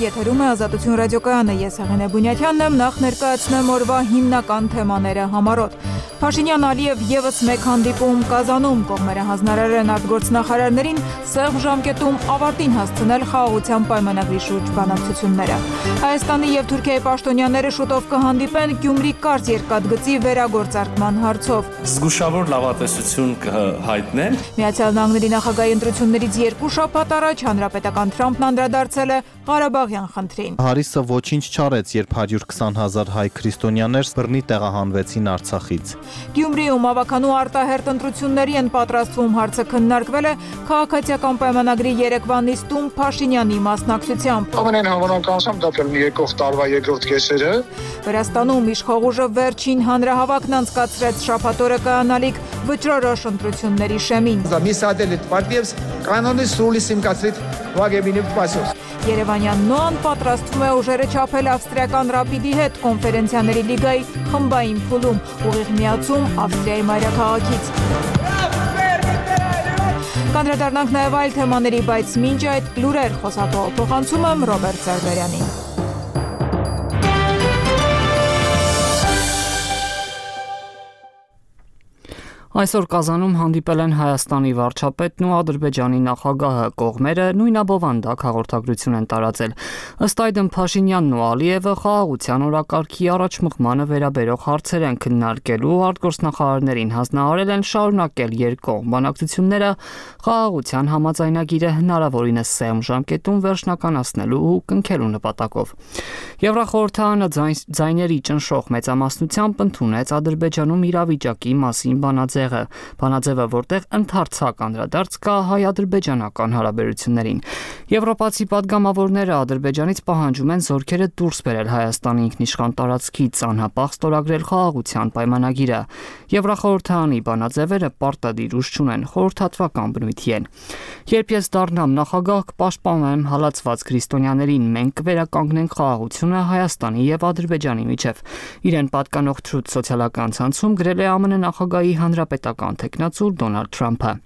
եթերում է Ազատություն ռադիոկայանը, ես Հեղինե Բունյաթյանն եմ, նախ ներկայացնեմ օրվա հիմնական թեմաները համառոտ։ Փաշինյան-Ալիև ևս մեկ հանդիպում Կազանում, կողմերը հանձնարարել են արտգործնախարարներին սեղմ ժամկետում ավարտին հասցնել խաղաղության պայմանագրի շուրջ բանակցությունները։ Հայաստանի և Թուրքիայի պաշտոնյաները շուտով կհանդիպեն Գյումրի կարճ երկաթգծի վերագործարկման հարցով։ Զգուշավոր լավատեսություն կհայտնեն։ Միացյալ Նահանգների նախագահի ընտրություններից 2 շաբաթ առաջ հանրապետական Թրամփն անդրադարձել է Ղարաբաղյան խնդրին։ Հարիսը ոչինչ չարեց, երբ 120,000 հայ քրիստոնյաներ բռնի տեղահանվեցին Արցախից։ Գյումրիում ավականու արտահերտ ընտրությունների են պատրաստվում հարցը քննարկվել է քաղաքացիական պայմանագրի երեկվա նիստում Փաշինյանի մասնակցությամբ։ Ամենայն հավանականությամբ դա կլինի եկող տարվա երկրորդ կեսերը։ Վրաստանում իշխող ուժը վերջին հանրահավաքն անցկացրեց շաբաթ օրը կայանալիք վճռորոշ ընտրությունների շեմին։ Երևանյան ՆՈԱ-ն պատրաստվում է ուժերը չափել ավստրիական Ռապիդի հետ կոնֆերենցիաների լիգայի խմբային փուլում, ուղիղ միացում Ավստրիայի մայրաքաղաքից։ Կանդրադառնանք նաև այլ թեմաների, բայց մինչ այդ լուրեր խոսափողը փոխանցում եմ Ռոբերտ Սարդարյանին։ Այսօր Կազանում հանդիպել են Հայաստանի վարչապետն ու Ադրբեջանի նախագահը, կողմերը նույնաբովանդակ հաղորդագրություն են տարածել։ Ըստ այդմ Փաշինյանն ու Ալիևը խաղաղության օրակարգի առաջմղմանը վերաբերող հարցեր են քննարկելու, արտգործնախարարներին հանձնարարել են շարունակել երկկողմ բանակցությունները խաղաղության համաձայնագիրը հնարավորինս սեղմ ժամկետում վերջնականացնելու ու կնքելու նպատակով։ Եվրախորհրդարանը ձայների ճնշող մեծամասնությամբ ընդունեց Ադրբեջանում իրավիճակի մասին բանաձևը, որտեղ ընդարձակ անդրադարձ կա հայ-ադրբեջանական հարաբերություններին։ Եվրոպացի падգամավորները Ադրբեջանից պահանջում են զորքերը դուրս բերել Հայաստանի ինքնիշխան տարածքից, անհապաղ ստորագրել խաղաղության պայմանագիրը։ Եվրախորհրդարանի բանաձևերը պարտադիր ուժ չունեն, խորհրդատվական բնույթի են։ Երբ ես դառնամ նախագահ, կպաշտպանեմ հալածված քրիստոնյաներին, մենք կվերականգնենք խաղաղությունը Հայաստանի եւ Ադրբեջանի միջև։ Իրեն պատկանող Truth սոցիալական ցանցում գրել է ԱՄՆ նախագահի հանրապետական թեկնածու Դոնալդ Թրամփը։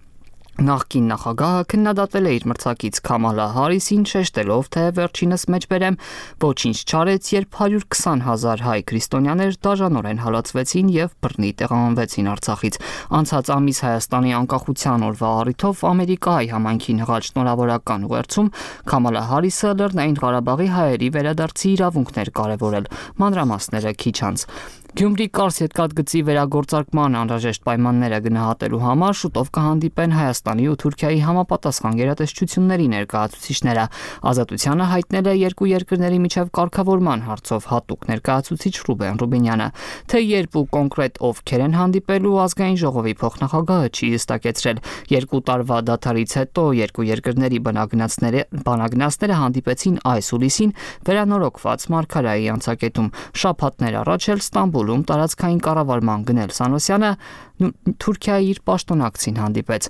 Նախկին նախագահը քննադատել է իր մրցակից Քամալա Հարիսին, շեշտելով, թե վերջինս մեջբերեմ ոչինչ չարեց, երբ 120,000 հայ քրիստոնյաներ դաժանորեն հալածվեցին եւ բռնի տեղահանվեցին Արցախից։ Անցած ամիս Հայաստանի անկախության օրվա առիթով Ամերիկայի համայնքին հղած շնորհավորական ուղերձում Քամալա Հարիսը Լեռնային Ղարաբաղի հայերի վերադարձի իրավունքներ կարևորել։ Մանրամասները քիչ անց։ Գյումրի կարճ երկաթգծի վերագործարկման անհրաժեշտ պայմանները գնահատելու համար շուտով կհանդիպեն Հայաստանի ու Թուրքիայի համապատասխան գերատեսչությունների ներկայացուցիչները։ Ազատությանը հայտնել է երկու երկրների միջև կարգավորման հարցով հատուկ ներկայացուցիչ Ռուբեն Ռուբինյանը։ Թե երբ ու կոնկրետ ովքեր են հանդիպելու, ազգային ժողովի փոխնախագահը չի հստակեցրել։ 2 տարվա դադարից հետո երկու երկրների բանագնացները հանդիպեցին այս հուլիսին վերանորոգված Մարգարայի անցակետում։ Շաբաթներ առաջ էլ Ստամբուլում տարածքային կառավարման գնել Սանոսյանը Թուրքիայի իր պաշտոնակցին հանդիպեց։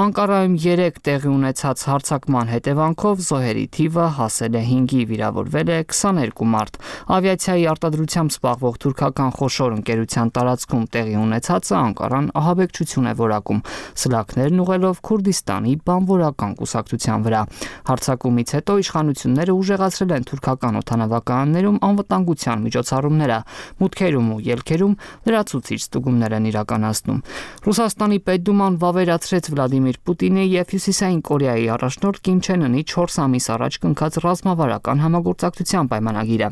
Անկարայում 3 տեղի ունեցած հարձակման հետևանքով զոհերի թիվը հասել է 5-ի, վիրավորվել է 22 մարդ։ Ավիացիայի արտադրությամբ զբաղվող թուրքական խոշոր ընկերության տարածքում տեղի ունեցածը Անկարան ահաբեկչություն է որակում, սլաքներն ուղղելով Քուրդիստանի բանվորական կուսակցության վրա։ Հարձակումից հետո իշխանությունները ուժեղացրել են թուրքական օդանավականներում անվտանգության միջոցառումները, մուտքերում ու ելքերում լրացուցիչ ստուգումներ են իրականացնում։ Ռուսաստանի Պետդուման վավերացրեց Վլադիմիր Պուտինի եւ Հյուսիսային Կորեայի առաջնորդ Կիմ Չեն Ընի 4 ամիս առաջ կնքած ռազմավարական համագործակցության պայմանագիրը։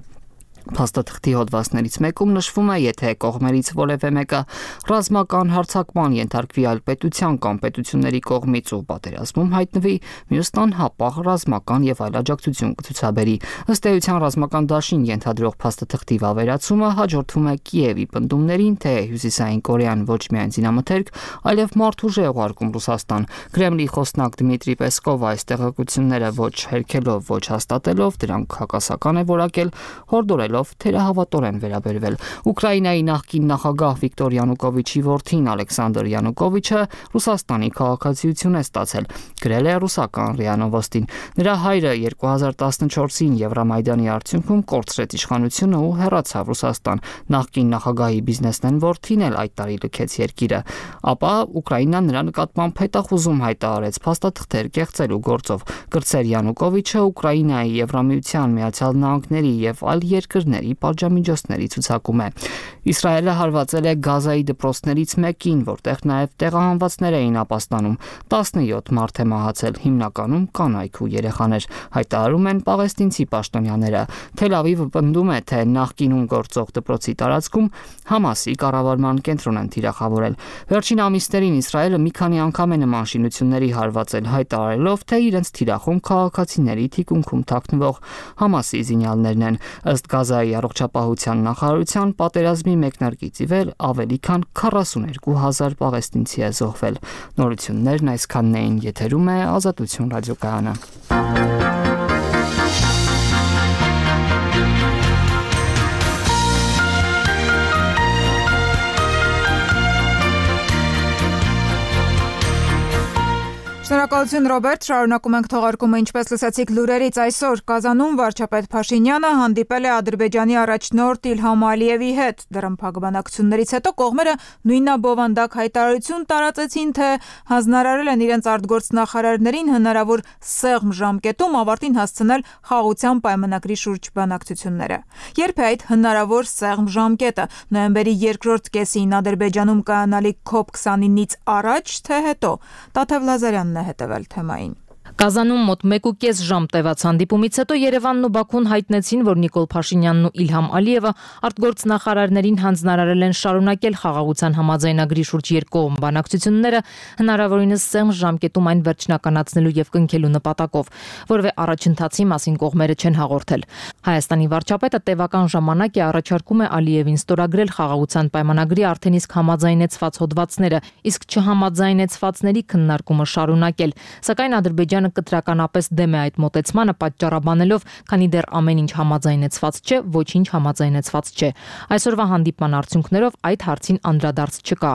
Փաստաթղթի հոդվածներից մեկում նշվում է, եթե կողմերից որևէ մեկը ռազմական հարձակման ենթարկվի այլ պետության կամ պետությունների կողմից ու պատերազմում հայտնվի, մյուսն անհապաղ ռազմական եւ այլ աջակցություն կցուցաբերի։ Ըստ էության ռազմական դաշին ենթադրող փաստաթղթի վավերացումը հաջորդվում է Կիևի պնդումներին, թե Հյուսիսային Կորեան ոչ միայն զինամթերք, այլև մարդուժ է ուղարկում Ռուսաստան։ Կրեմլի խոսնակ Դմիտրի Պեսկովը այս տեղեկությունները ոչ հերքելով, ոչ հաստատելով, դրանք հակասական է որակել, հորդորելով հայտարարելով թերահավատորեն վերաբերվել։ Ուկրաինայի նախկին նախագահ Վիկտոր Յանուկովիչի որդին Ալեքսանդր Յանուկովիչը Ռուսաստանի քաղաքացիություն է ստացել, գրել է ռուսական ՌԻԱ Նովոստին։ Նրա հայրը 2014-ին Եվրամայդանի արդյունքում կորցրեց իշխանությունը ու հեռացավ Ռուսաստան։ Նախկին նախագահի բիզնեսմեն որդին էլ այդ տարի լքեց երկիրը, ապա Ուկրաինան նրա նկատմամբ հետախուզում հայտարարեց փաստաթղթեր կեղծելու գործով։ Կրտսեր Յանուկովիչը Ուկրաինայի, Եվրամիության, Միացյալ Նահանգների եւ այլ երկրների պատժամիջոցների ցուցակում է։ Իսրայելը հարվածել է Գազայի դպրոցներից մեկին, որտեղ նաեւ տեղահանվածներ էին ապաստանում։ 17 մարդ է մահացել, հիմնականում կանայք ու երեխաներ, հայտարարում են պաղեստինցի պաշտոնյաները։ Թել Ավիվը պնդում է, թե նախկինում գործող դպրոցի տարածքում Համասի կառավարման կենտրոն են թիրախավորել։ Վերջին ամիսներին Իսրայելը մի քանի անգամ է նման շինությունների հարվածել, հայտարարելով, թե իրենց թիրախում քաղաքացիների թիկունքում թաքնվող Համասի զինյալներն են։ Ըստ Գազայի առողջապահության նախարարության, պատերազմի մեկնարկից ի վեր ավելի քան 42,000 պաղեստինցի է զոհվել։ Նորություններն այսքանն էին, եթերում է Ազատություն ռադիոկայանը։ Շնորհակալություն Ռոբերտ, շարունակում ենք թողարկումը, ինչպես լսեցիք լուրերից, այսօր Կազանում վարչապետ Փաշինյանը հանդիպել է Ադրբեջանի առաջնորդ Իլհամ Ալիևի հետ։ Դրամփակ բանակցություններից հետո կողմերը նույնաբովանդակ հայտարարություն տարածեցին, թե հանձնարարել են իրենց արտգործնախարարներին հնարավոր սեղմ ժամկետում ավարտին հասցնել խաղաղության պայմանագրի շուրջ բանակցությունները։ Երբ է այդ հնարավոր սեղմ ժամկետը, նոյեմբերի երկրորդ կեսին Ադրբեջանում կայանալիք COP29-ից առաջ, թե հետո։ Տաթև Լազարյանն է հետևել թեմային։ Կազանում մոտ 1.5 ժամ տևած հանդիպումից հետո Երևանն ու Բաքուն հայտնեցին, որ Նիկոլ Փաշինյանն ու Իլհամ Ալիևը արտգործնախարարներին հանձնարարել են շարունակել խաղաղության համաձայնագրի շուրջ երկկողմ բանակցությունները հնարավորինս սեղմ ժամկետում այն վերջնականացնելու եւ կնքելու նպատակով, որովե առաջընթացի մասին կողմերը չեն հաղորդել։ Հայաստանի վարչապետը տևական ժամանակ է առաջարկում է Ալիևին ստորագրել խաղաղության պայմանագրի արդեն իսկ համաձայնեցված հոդվածները, իսկ չհամաձայնեցվածների քննարկումը շարունակել, սակայն Ադրբեջանը կտրականապես դեմ է այդ մոտեցմանը, պատճառաբանելով, քանի դեռ ամեն ինչ համաձայնեցված չէ, ոչինչ համաձայնեցված չէ։ Այսօրվա հանդիպման արդյունքներով այդ հարցին անդրադարձ չկա։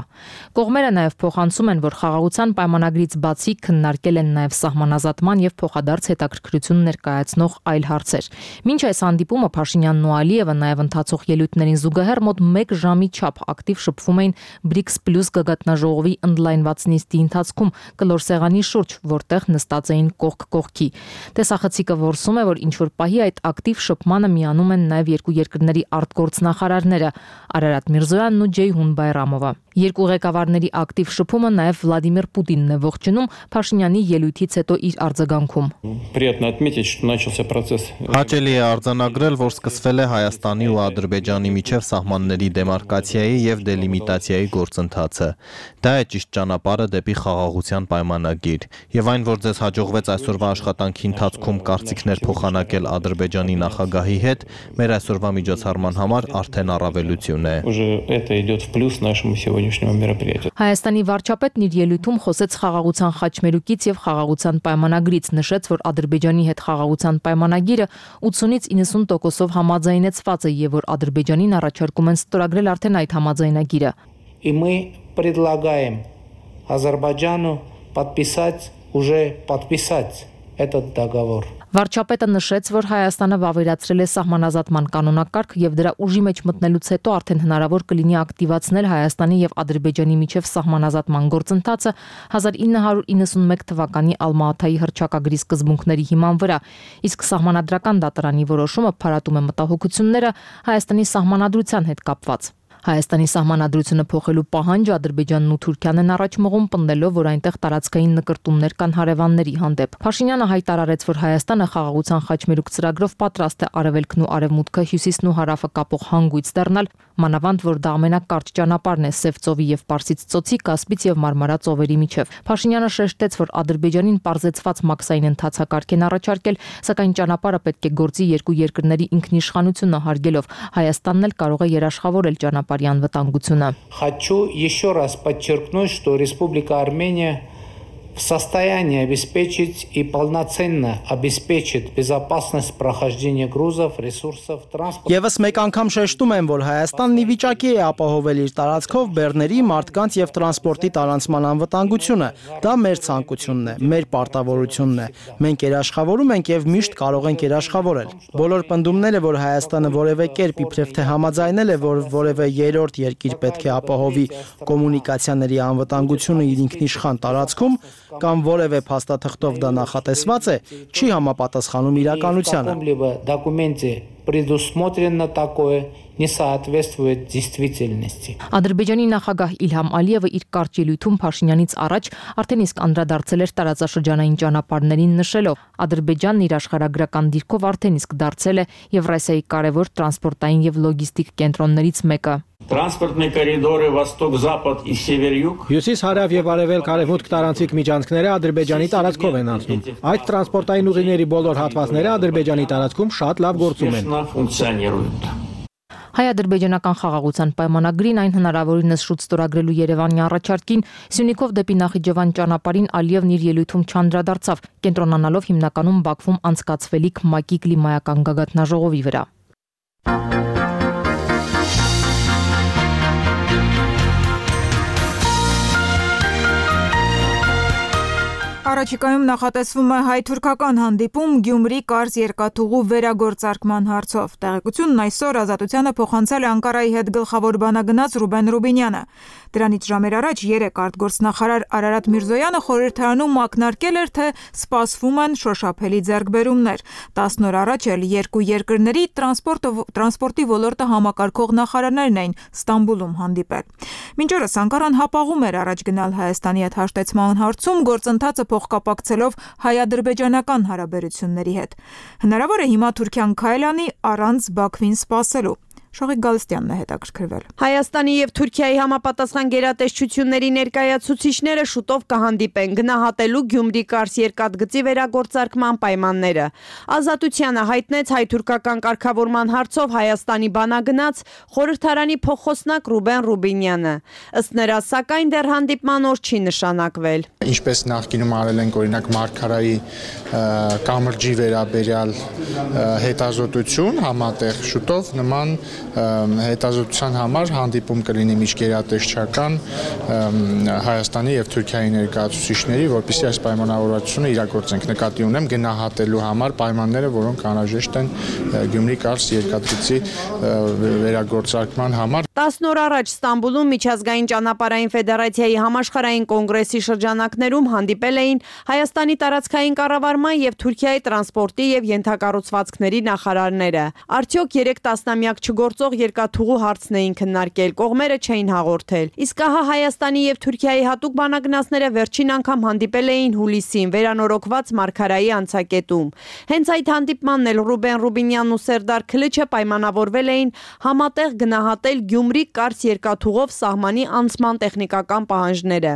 Կողմերը նաև փոխանցում են, որ խաղաղության պայմանագրից բացի քննարկել են նաև սահմանազատման եւ փոխադարձ հետաքրքրություն ներկայացնող այլ հարցեր։ Մինչ այս հանդիպումը Փաշինյանն ու Ալիևը նաև ընթացող ելույթներին զուգահեռ մոտ 1 ժամի չափ ակտիվ շփվում էին BRICS+ գագաթնաժողովի ընդլայնված նիստի ընթացքում կլոր սեղանի շուրջ, որտեղ նստած էին կողք կողքի։ Տեսախցիկը որսում է, որ ինչ-որ պահի այդ ակտիվ շփմանը միանում են նաև երկու երկրների արտգործնախարարները Արարատ Միրզոյանն ու Ջեյհուն Բայրամովը։ Երկու ղեկավարների ակտիվ շփումը նաև Վլադիմիր Պուտինն է ողջունում Փաշինյանի ելույթից հետո իր արձագանքում։ Հաճելի է արձանագրել, որ սկսվել է Հայաստանի ու Ադրբեջանի միջև սահմանների դեմարկացիայի եւ դելիմիտացիայի գործընթացը։ Դա է ճիշտ ճանապարհը դեպի խաղաղության պայմանագիր։ Եվ այն, որ ձեզ հաջողվեց այսօրվա աշխատանքի ընթացքում կարծիքներ փոխանակել Ադրբեջանի նախագահի հետ, մեր այսօրվա միջոցառման համար արդեն առավելություն է։ Հայաստանի վարչապետն իր ելույթում խոսեց խաղաղության խաչմերուկից եւ խաղաղության պայմանագրից, նշեց, որ Ադրբեջանի հետ խաղաղության պայմանագիրը 80-ից 90%-ով համաձայնեցված է եւ որ Ադրբեջանին առաջարկում են ստորագրել արդեն այդ համաձայնագիրը։ И мы предлагаем Азербайджану подписать этот договор. Վարչապետը նշեց, որ Հայաստանը վավերացրել է սահմանազատման կանոնակարգ եւ դրա ուժի մեջ մտնելուց հետո արդեն հնարավոր կլինի ակտիվացնել Հայաստանի եւ Ադրբեջանի միջև սահմանազատման գործընթացը 1991 թվականի Ալմա-Աթայի հռչակագրի սկզբունքների հիման վրա, իսկ սահմանադրական դատարանի որոշումը փարատում է մտահոգությունները Հայաստանի սահմանադրության հետ կապված։ Հայաստանի սահմանադրությունը փոխելու պահանջը Ադրբեջանն ու Թուրքիան են առաջ մղում, պնդելով, որ այնտեղ տարածքային նկրտումներ կան հարևանների հանդեպ։ Փաշինյանը հայտարարեց, որ Հայաստանը խաղաղության խաչմերուկ ծրագրով պատրաստ է Արևելքն ու Արևմուտքը, Հյուսիսն ու Հարավը կապող հանգույց դառնալ, մանավանդ որ դա ամենակարճ ճանապարհն է Սև ծովի եւ Պարսից ծոցի, Կասպից եւ Մարմարա ծովերի միջև։ Փաշինյանը շեշտեց, որ Ադրբեջանին պարզեցված մաքսային ընթացակարգ են առաջարկել, սակայն ճանապարհը պետք է գործի երկու երկրների ինքնիշխանությունը հարգելով։ Հայաստանն էլ կարող է երաշխավորել ճանապարհի անվտանգությունը։ Хочу еще раз подчеркнуть, что Республика Армения в состоянии обеспечить и полноценно обеспечить безопасность прохождения грузов, ресурсов, транспорта. Եվս մեկ անգամ շեշտում եմ, որ Հայաստանն ի վիճակի է ապահովել իր տարածքով բեռների, մարդկանց եւ տրանսպորտի տարանցման անվտանգությունը։ Դա մեր ցանկությունն է, մեր պարտավորությունն է։ Մենք երաշխավորում ենք եւ միշտ կարող ենք երաշխավորել։ Բոլոր պնդումները, որ Հայաստանը որևէ կերպ իբրև թե համաձայնել է, որ որևէ երրորդ երկիր պետք է ապահովի կոմունիկացիաների անվտանգությունը իր ինքնիշխան տարածքում, կամ որևէ փաստաթղթով դա նախատեսված է, չի համապատասխանում իրականությանը։ Документе предусмотрено такое, не соответствует действительности. Ադրբեջանի նախագահ Իլհամ Ալիևը իր կարճ ելույթում Փաշինյանից առաջ արդեն իսկ անդրադարձել էր տարածաշրջանային ճանապարհներին նշելով. Ադրբեջանն իր աշխարհագրական դիրքով արդեն իսկ դարձել է Եվրասիայի կարևոր տրանսպորտային եւ լոգիստիկ կենտրոններից մեկը։ Տրանսպորտные коридоры восток-запад и север-юг Հյուսիս-հարավ եւ արևելք-արևմուտք տարանցիկ միջանցքները Ադրբեջանի տարածքով են անցնում։ Այդ տրանսպորտային ուղիների բոլոր հատվածները Ադրբեջանի տարածքում շատ լավ գործում են։ функционируют. Հայ-ադրբեջանական խաղաղության պայմանագրին այն հնարավորինս շուտ ստորագրելու Երևանի առաջարկին Սյունիքով դեպի Նախիջևան ճանապարհին Ալիևն իր ելույթում չանդրադարձավ, կենտրոնանալով հիմնականում Բաքվում անցկացվելիք ՄԱԿ-ի կլիմայական գագաթնաժողովի վրա։ Առաջիկայում նախատեսվում է հայ-թուրքական հանդիպում Գյումրի-Կարս երկաթուղու վերագործարկման հարցով։ Տեղեկությունն այսօր Ազատությանը փոխանցել է Անկարայի հետ գլխավոր բանագնաց Ռուբեն Ռուբինյանը։ Դրանից ժամեր առաջ 3 արտգործնախարար Արարատ Միրզոյանը խորհրդարանում ակնարկել էր, թե սպասվում են շոշափելի ձեռքբերումներ։ 10 օր առաջ էլ երկու երկրների տրանսպորտի ոլորտը համակարգող նախարարներն էին Ստամբուլում հանդիպել։ Մինչ օրս Անկարան հապաղում էր առաջ գնալ Հայաստանի հետ հաշտեցման հարցում գործընթացը փոխկապակցելով հայ-ադրբեջանական հարաբերությունների հետ։ Հնարավոր է հիմա Թուրքիան քայլ անի առանց Բաքվին սպասելու։ Շողիկ Գալստյանն է հետաքրքրվել։ Հայաստանի եւ Թուրքիայի համապատասխան գերատեսչությունների ներկայացուցիչները շուտով կհանդիպեն գնահատելու Գյումրի-Կարս երկաթգծի վերագործարկման պայմանները։ Ազատությանը հայտնեց հայ-թուրքական կարգավորման հարցով Հայաստանի բանագնաց խորհրդարանի փոխոսնակ Ռուբեն Ռուբինյանը։ Ըստ նրա, սակայն դեռ հանդիպման օր չի նշանակվել։ Ինչպես նախկինում արել ենք օրինակ Մարգարայի կամրջի վերաբերյալ հետազոտություն համատեղ շուտով նման հետազոտության համար հանդիպում կլինի միջգերատեսչական Հայաստանի եւ Թուրքիայի ներկայացուցիչների, որպեսզի այս պայմանավորվածությունը իրագործենք։ Նկատի ունեմ գնահատելու համար պայմանները, որոնք անհրաժեշտ են Գյումրի-Կարս երկաթգծի վերագործարկման համար։ 10 օր առաջ Ստամբուլում Միջազգային ճանապարհային ֆեդերացիայի համաշխարհային կոնգրեսի շրջանակներում հանդիպել էին Հայաստանի տարածքային կառավարման եւ Թուրքիայի տրանսպորտի եւ ենթակառուցվածքների նախարարները։ Արդյոք 3 տասնամյակ չգործող երկաթուղու հարցն էին քննարկել, կողմերը չէին հաղորդել։ Իսկ ահա Հայաստանի եւ Թուրքիայի հատուկ բանագնացները վերջին անգամ հանդիպել էին հուլիսին վերանորոգված Մարգարայի անցակետում։ Հենց այդ հանդիպմանն էլ Ռուբեն Ռուբինյանն ու Սերդար Քլիչը պայմանավորվել էին համատեղ գնահատել Գյումրի-Կարս երկաթուղով սահմանի անցման տեխնիկական պահանջները։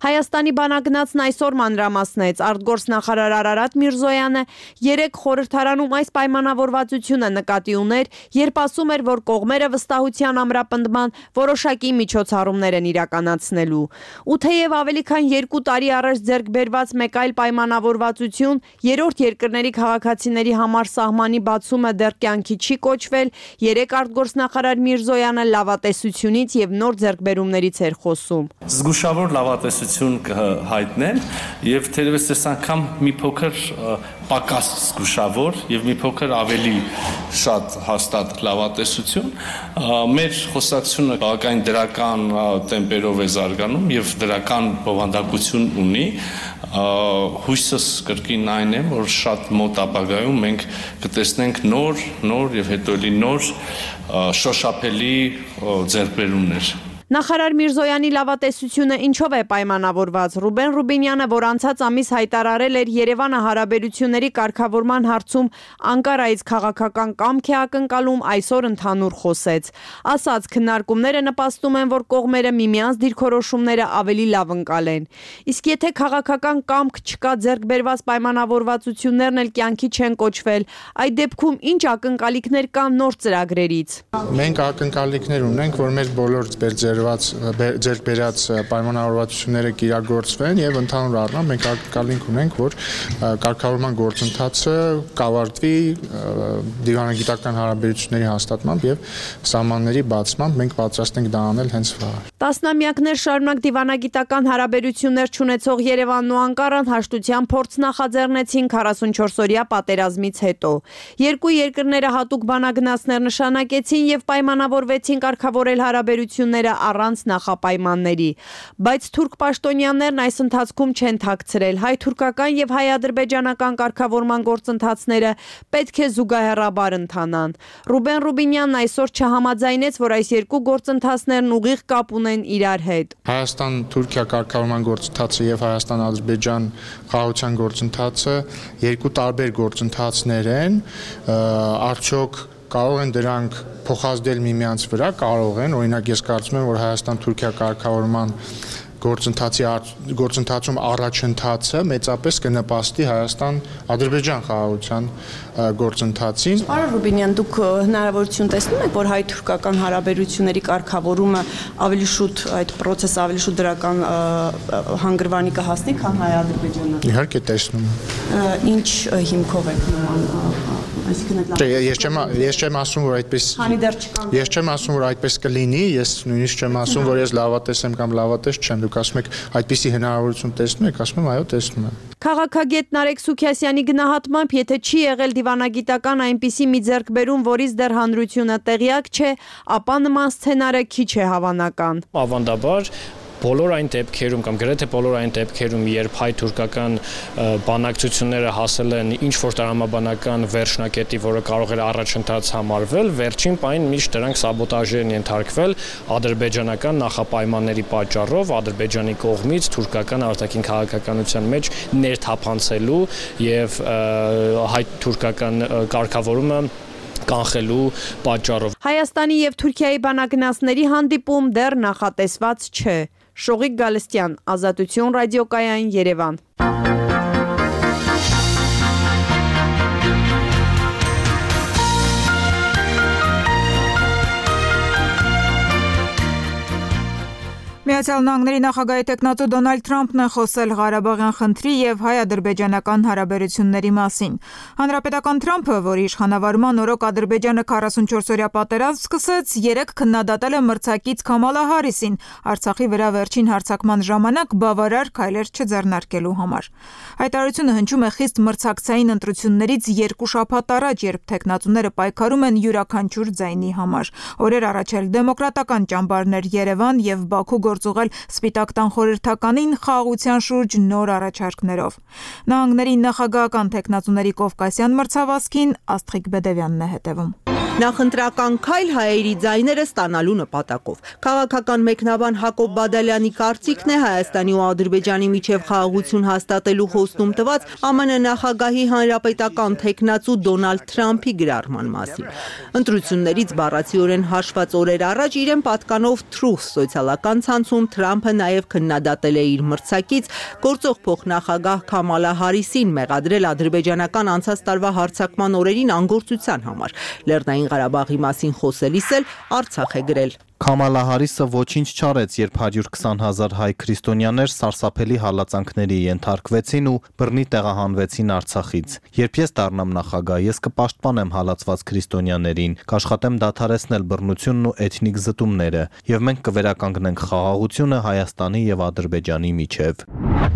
Հայաստանի բանագնացն այսօր մանրամասնեց արտգործնախարար Արարատ Միրզոյանը 3 խորհրդարանում այս պայմանավորվածությունը նկատի ուներ, երբ ասում էր, որ կողմերը վստահության ամրապնդման որոշակի միջոցառումներ են իրականացնելու։ Ու թեև ավելի քան 2 տարի առաջ ձեռք բերված մեկ այլ պայմանավորվածություն երրորդ երկրների քաղաքացիների համար սահմանի բացումը դեռ կյանքի չի կոչվել, 3 արտգործնախարար Միրզոյանը լավատեսությունից եւ նոր ձեռքբերումներից էր խոսում։ Զգուշավոր լավատեսություն կհայտնեն եւ թերևս այս անգամ մի փոքր պակաս զգուշավոր եւ մի փոքր ավելի շատ հաստատ լավատեսություն։ Մեր խոսակցությունը բավական դրական տեմպերով է զարգանում եւ դրական բովանդակություն ունի։ Հույսս կրկին այն է, որ շատ մոտ ապագայում մենք կտեսնենք նոր եւ հետո էլի նոր շոշափելի ձեռքբերումներ։ Նախարար Միրզոյանի լավատեսությունը ինչով է պայմանավորված։ Ռուբեն Ռուբինյանը, որ անցած ամիս հայտարարել էր Երևանը հարաբերությունների կարգավորման հարցում Անկարայից քաղաքական կամք է ակնկալում, այսօր ընդհանուր խոսեց։ Ասաց, քննարկումները նպաստում են, որ կողմերը միմյանց դիրքորոշումները ավելի լավ ընկալեն։ Իսկ եթե քաղաքական կամք չկա, ձեռք բերված պայմանավորվածություններն էլ կյանքի չեն կոչվել, այդ դեպքում ինչ ակնկալիքներ կան նոր ծրագրերից։ Մենք ակնկալիքներ ունենք, որ մեր բոլոր ձեռք բերած պայմանավորվածությունները կիրագործվեն եւ ընդհանուր առմամբ մենք ակնկալենք ունենք, որ կարգավորման գործընթացը կավարտվի դիվանագիտական հարաբերությունների հաստատմամբ եւ սահմանների բացմամբ։ Մենք պատրաստ ենք դա անել հենց վաղ։ Տասնամյակներ շարունակ դիվանագիտական հարաբերություններ չունեցող Երևանն ու Անկարան հաշտության փորձ նախաձեռնեցին 44-օրյա պատերազմից հետո։ Երկու երկրները հատուկ բանագնացներ նշանակեցին եւ պայմանավորվեցին կարգավորել հարաբերությունները առանց նախապայմանների։ Բայց թուրք պաշտոնյաներն այս ընթացքում չեն թաքցրել հայ-թուրքական եւ հայ-ադրբեջանական կարգավորման գործընթացները պետք է զուգահեռաբար ընթանան։ Ռուբեն Ռուբինյանն այսօր չհամաձայնեց, որ այս երկու գործընթացներն ուղիղ կապ ունեն իրար հետ։ Հայաստան-Թուրքիա կարգավորման գործընթացը եւ Հայաստան-Ադրբեջան խաղաղության գործընթացը երկու տարբեր գործընթացներ են, արդյոք կարող են դրանք փոխազդել միմյանց վրա, կարող են, օրինակ ես կարծում եմ, որ Հայաստան-Թուրքիա կարգավորման գործընթացում առաջընթացը մեծապես կնպաստի Հայաստան-Ադրբեջան խաղաղության գործընթացին։ Պարոն Ռուբինյան, դուք հնարավորություն տեսնում եք, որ հայ-թուրքական հարաբերությունների կարգավորումը ավելի շուտ այդ process-ը ավելի շուտ դրական հանգրվանի կհասնի, քան հայ-ադրբեջանական։ Իհարկե տեսնում եմ։ Ինչ հիմքով եք նման, այսինքն Ես չեմ ասում, որ այդպես Ես չեմ ասում, որ այդպես կլինի, ես նույնիսկ չեմ ասում, որ ես լավատես եմ կամ լավատես չեմ։ Դուք ասում եք այդպիսի հնարավորություն տեսնում եք, ասում եմ այո, տեսնում եմ։ Քաղաքագետ Նարեկ Սուքիասյանի գնահատմամբ, եթե չի եղել դիվանագիտական այնպիսի մի ձեռքբերում, որից դեռ հանրությունը տեղյակ չէ, ապա նման սցենարը քիչ է հավանական։ Ավանդաբար բոլոր այն դեպքերում կամ գրեթե բոլոր այն դեպքերում, երբ հայ-թուրքական բանակցությունները հասել են ինչ-որ տրամաբանական վերջնակետի, որը կարող էր առաջընթաց համարվել, վերջին պահին միշտ դրանք սաբոտաժի են ենթարկվել ադրբեջանական նախապայմանների պատճառով, Ադրբեջանի կողմից թուրքական արտաքին քաղաքականության մեջ ներթափանցելու եւ հայ-թուրքական կարգավորումը կանխելու պատճառով։ Հայաստանի եւ Թուրքիայի բանագնացների հանդիպում դեռ նախատեսված չէ։ Շողիկ Գալստյան, Ազատություն ռադիոկայան, Երևան։ Միացյալ Նահանգների նախագահի տեխնատու Դոնալդ Թրամփն է խոսել Ղարաբաղյան խնդրի եւ հայ-ադրբեջանական հարաբերությունների մասին։ Հանրապետական Թրամփը, որի իշխանավարման օրոք Ադրբեջանը 44-օրյա պատերազմ սկսեց, 3 քննադատել է մրցակից Քամալա Հարիսին Արցախի վրա վերջին հարձակման ժամանակ բավարար քայլեր չձեռնարկելու համար։ Հայտարարությունը հնչում է խիստ մրցակցային ընտրություններից 2 շաբաթ առաջ, երբ տեխնատուները պայքարում են յուրաքանչյուր ձայնի համար։ Օրեր առաջ էլ դեմոկրատական ճամբարներ Երևան եւ Բաքու գործուղել Սպիտակ տան խորհրդականին խաղաղության շուրջ նոր առաջարկներով։ Նահանգների նախագահական տեխնատուների կովկասյան մրցավազքին Աստղիկ Բեդևյանն է հետևում։ Նախընտրական քայլ հայերի ձայները ստանալու նպատակով։ Քաղաքական մեկնաբան Հակոբ Բադալյանի կարծիքն է Հայաստանի ու Ադրբեջանի միջև խաղաղություն հաստատելու խոստում տված ԱՄՆ նախագահի հանրապետական տեխնատու Դոնալդ Թրամփի գրառման մասին։ Ընտրություններից բառացիորեն հաշված օրեր առաջ իրեն պատկանով Truth սոցիալական ցանցում Թրամփը նաև քննադատել է իր մրցակից գործող փոխնախագահ Քամալա Հարիսին մեղադրել ադրբեջանական անցած տարվա հարձակման օրերին անգործության համար։ Լեռնային Ղարաբաղի մասին խոսելիս էլ Արցախ է գրել։ Քամալա Հարիսը ոչինչ չարեց, երբ 120,000 հայ քրիստոնյաներ սարսափելի հալածանքների ենթարկվեցին ու բռնի տեղահանվեցին Արցախից։ Երբ ես դառնամ նախագահ, ես կպաշտպանեմ հալածված քրիստոնյաներին, կաշխատեմ դադարեցնել բռնությունն ու էթնիկ զտումները, եւ մենք կվերականգնենք խաղաղությունը Հայաստանի եւ Ադրբեջանի միջև։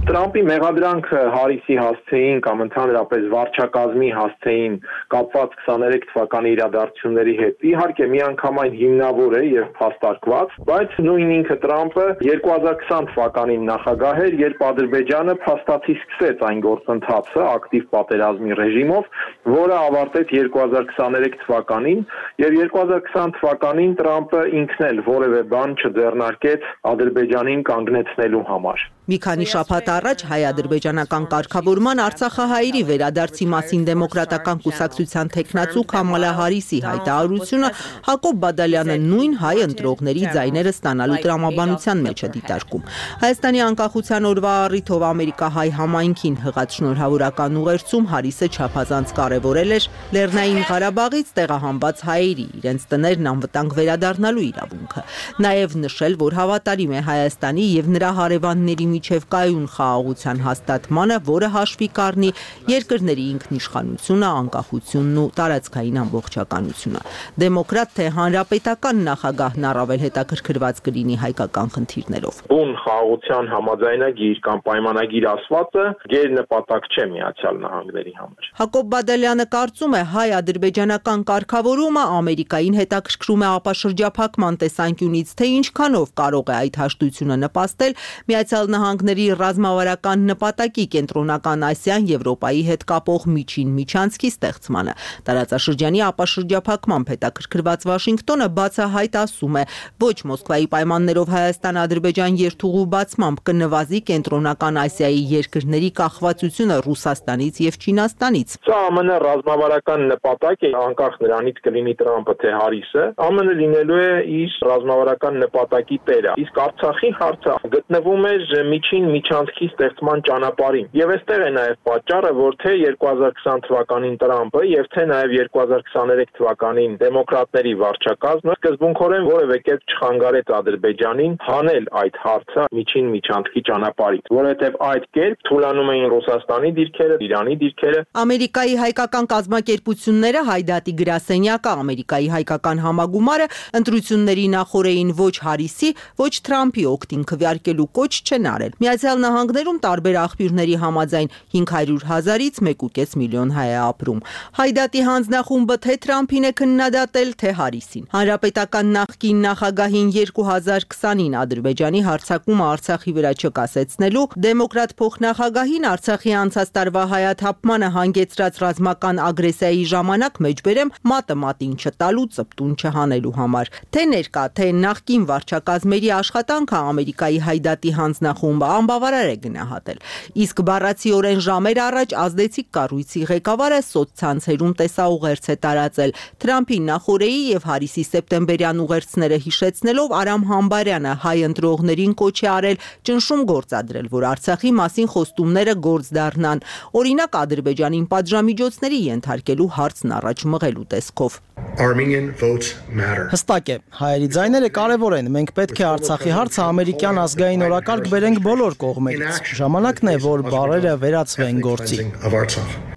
Տրամփի մեղադրանքը Հարիսի հասցեին կամ ընդհանրապես վարչակազմի հասցեին կապված 23 թվականի իրադարձությունների հետ իհարկե միանգամայն հիմնավոր է եւ փաստարկված, բայց նույն ինքը Տրամփը 2020 թվականին նախագահ էր, երբ Ադրբեջանը փաստացի սկսեց այն գործընթացը ակտիվ պատերազմի ռեժիմով, որը ավարտեց 2023 թվականին եւ 2020 թվականին Տրամփը ինքն էլ որևէ բան չձեռնարկեց Ադրբեջանին կանգնեցնելու համար։ Մի քանի շաբաթ առաջ հայ-ադրբեջանական կարգավորման Արցախահայերի վերադարձի մասին դեմոկրատական կուսակցության թեկնածու Քամալա Հարիսի հայտարարությունը Հակոբ Բադալյանը նույն հայ ընտրողների ձայները ստանալու տրամաբանության մեջ է դիտարկում։ Հայաստանի անկախության օրվա առիթով ամերիկահայ համայնքին հղած շնորհավորական ուղերձում Հարիսը չափազանց կարևորել էր Լեռնային Ղարաբաղից տեղահանված հայերի իրենց տներն անվտանգ վերադառնալու իրավունքը։ Նաև նշել, որ հավատարիմ է Հայաստանի եւ նրա հարևանների միջև կայուն խաղաղության հաստատմանը, որը հաշվի կառնի երկրների ինքնիշխանությունը, անկախությունն ու տարածքային ամբողջականությունը։ Դեմոկրատ թե հանրապետական նախագահն առավել հետաքրքրված կլինի հայկական խնդիրներով։ Բուն խաղաղության համաձայնագիր կամ պայմանագիր ասվածը գերնպատակ չէ Միացյալ Նահանգների համար։ Հակոբ Բադալյանը կարծում է հայ-ադրբեջանական կարգավորումը Ամերիկային հետաքրքրում է ապաշրջափակման տեսանկյունից, թե ինչքանով կարող է այդ հաշտությունը նպաստել Միացյալ Նահանգների ռազմավարական նպատակի Կենտրոնական Ասիան Եվրոպայի հետ կապող միջին միջանցքի ստեղծմանը։ Տարածաշրջանի ապաշրջափակմամբ հետաքրքրված Վաշինգտոնը բացահայտ ասում է, ոչ Մոսկվայի պայմաններով Հայաստան-Ադրբեջան երթուղու բացմամբ կնվազի Կենտրոնական Ասիայի երկրների կախվածությունը Ռուսաստանից եւ Չինաստանից։ Սա ԱՄՆ ռազմավարական նպատակ է, անկախ նրանից կլինի Տրամպը թե Հարիսը, ԱՄՆ լինելու է իր ռազմավարական նպատակի տերը։ Իսկ Արցախի հարցը գտնվում է միջին միջանցքի ստեղծման ճանապարհին։ Եվ այստեղ է նաև պատճառը, որ թե 2020 թվականին Տրամպը եւ թե նաև 2023 թվականին դեմոկրատների վարչակազմը սկզբունքորեն որևէ կերպ չխանգարեց Ադրբեջանին հանել այդ հարցը միջին միջանցքի ճանապարհից, որովհետեւ այդ կերպ թուլանում էին Ռուսաստանի դիրքերը, Իրանի դիրքերը։ Ամերիկայի հայկական կազմակերպությունները Հայդատի գրասենյակը, Ամերիկայի հայկական համագումարը ընտրությունների նախորդին ոչ Հարիսի, ոչ Թրամփի օգտին քվեարկելու կոչ չեն արել։ Միացյալ Նահանգներում տարբեր աղբյուրների համաձայն 500,000-ից 1.5 միլիոն հայ է ապրում։ Հայդատի հանձնախումբը թե Թրամփին է քննադատել, թե Հարիսին։ Հանրապետական նախկին նախագահին 2020-ին Ադրբեջանի հարձակումը Արցախի վրա չկասեցնելու, դեմոկրատ փոխնախագահին Արցախի անցած տարվա հայաթափմանը հանգեցրած ռազմական ագրեսիայի ժամանակ մեջբերեմ մատը մատին չտալու, ծպտուն չհանելու համար։ Թե ներկա, թե նախկին վարչակազմերի աշխատանքը Ամերիկայի Հայդատի հանձնախումբը անբավարար է գնահատել։ Իսկ բառացիորեն ժամեր առաջ ազդեցիկ կառույցի ղեկավարը սոցցանցերում տեսաուղերձ է տարածել Թրամփի նախորդի եւ Հարիսի սեպտեմբերյան ուղերձները հիշեցնելով Արամ Համբարյանը հայ ընտրողներին կոչ է արել ճնշում գործադրել, որ Արցախի մասին խոստումները գործ դառնան, օրինակ Ադրբեջանին պատժամիջոցների ենթարկելու հարցն առաջ մղելու տեսքով։ Հստակ է, հայերի ձայները կարևոր են, մենք պետք է Արցախի հարցը ամերիկյան ազգային օրակարգ բերենք բոլոր կողմերից։ Ժամանակն է, որ բառերը վերածվեն գործի։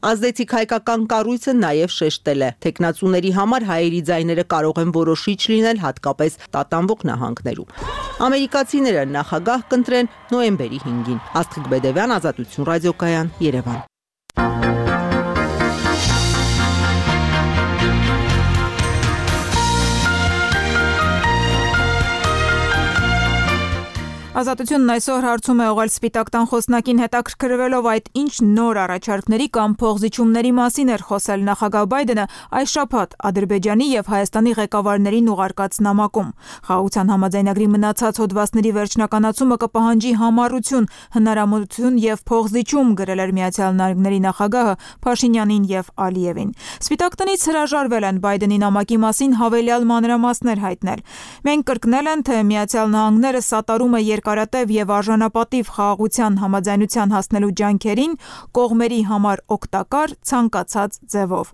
Ազդեցիկ հայկական կառույցը նաև շեշտել է, թեկնածուների համար հայերի ձայները կարող են որոշիչ լինել հատկապես տատանվող նահանգներում։ Ամերիկացիները նախագահ կընտրեն նոյեմբերի 5-ին։ Աստղիկ Բեդևյան, Ազատություն ռադիոկայան, Երևան։ Ազատությունն այսօր հարցում է ուղղել Սպիտակ տան խոսնակին հետաքրքրվելով այդ ինչ նոր առաջարկների կամ փոխզիջումների մասին էր խոսել նախագահ Բայդենը այս շաբաթ Ադրբեջանի եւ Հայաստանի ղեկավարներին ուղարկած նամակում։ Խաղաղության համաձայնագրի մնացած հոդվածների վերջնականացումը կպահանջի համառություն, հնարամտություն եւ փոխզիջում, գրել էր Միացյալ Նահանգների նախագահը Փաշինյանին եւ Ալիևին։ Սպիտակ տնից հրաժարվել են Բայդենի նամակի մասին հավելյալ մանրամասներ հայտնել։ Մենք կրկնել են, թե Միացյալ Նահանգները սատարում է երկարատև եւ արժանապատիվ խաղաղության համաձայնության հասնելու ջանքերին կողմերի համար օգտակար ցանկացած ձևով։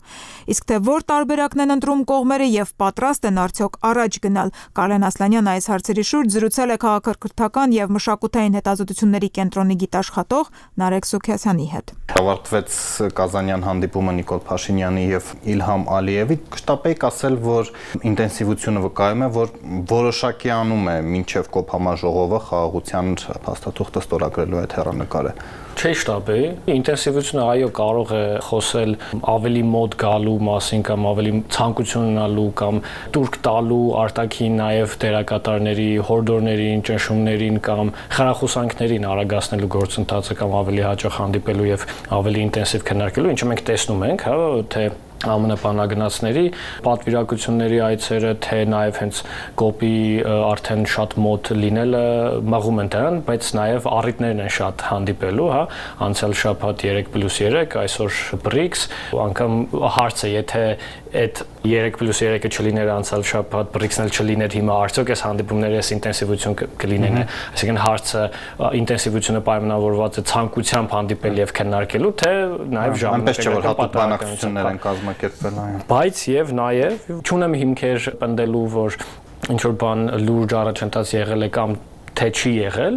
Իսկ թե որ տարբերակն են ընտրում կողմերը եւ պատրաստ են արդյոք առաջ գնալ, Կարեն Ասլանյանը այս հարցերի շուրջ զրուցել է քաղաքակրթական եւ մշակութային հետազոտությունների կենտրոնի գիտաշխատող Նարեկ Սուքիասյանի հետ։ Ավարտվեց Կազանյան հանդիպումը Նիկոլ Փաշինյանի եւ Իլհամ Ալիևի։ Կշտապեիք ասել, որ ինտենսիվությունը վկայում է, որ որոշակի անում է մինչեւ կոփ համաժողովը խաղաղության փաստաթուղթը ստորագրելու այդ հեռանկարը։ Չէ շտաբի, ինտենսիվությունը այո կարող է խոսել ավելի մոտ գալու մասին կամ ավելի ցանկություն ունենալու կամ տուրք տալու արտաքին նաև դերակատարների, հորդորներին, ճնշումներին կամ խրախուսանքներին արագացնելու գործընթացը կամ ավելի հաճախ հանդիպելու եւ ավելի ինտենսիվ քննարկելու, ինչը մենք տեսնում ենք, հա, թե ԱՄՆ բանագնացների պատվիրակությունների այցերը, թե նաև հենց կոպի արդեն շատ մոտ լինելը մղում են դրան, բայց նաև առիթներն են շատ հանդիպելու, հա, անցյալ շաբաթ 3+3, այսօր BRICS, անգամ հարցը, եթե այդ 3+3-ը չլիներ անցյալ շաբաթ, BRICS-ն էլ չլիներ հիմա, արդյոք այս հանդիպումների այս ինտենսիվություն կլինեն, այսինքն հարցը ինտենսիվությունը պայմանավորված է ցանկությամբ հանդիպել եւ քննարկելու, թե նաև ժամանակակից բանակցություններ են կազմակերպվել այն։ Բայց եւ նաև չունեմ հիմքեր պնդելու, որ ինչ որ բան լուրջ առաջընթաց եղել է կամ թե չի եղել,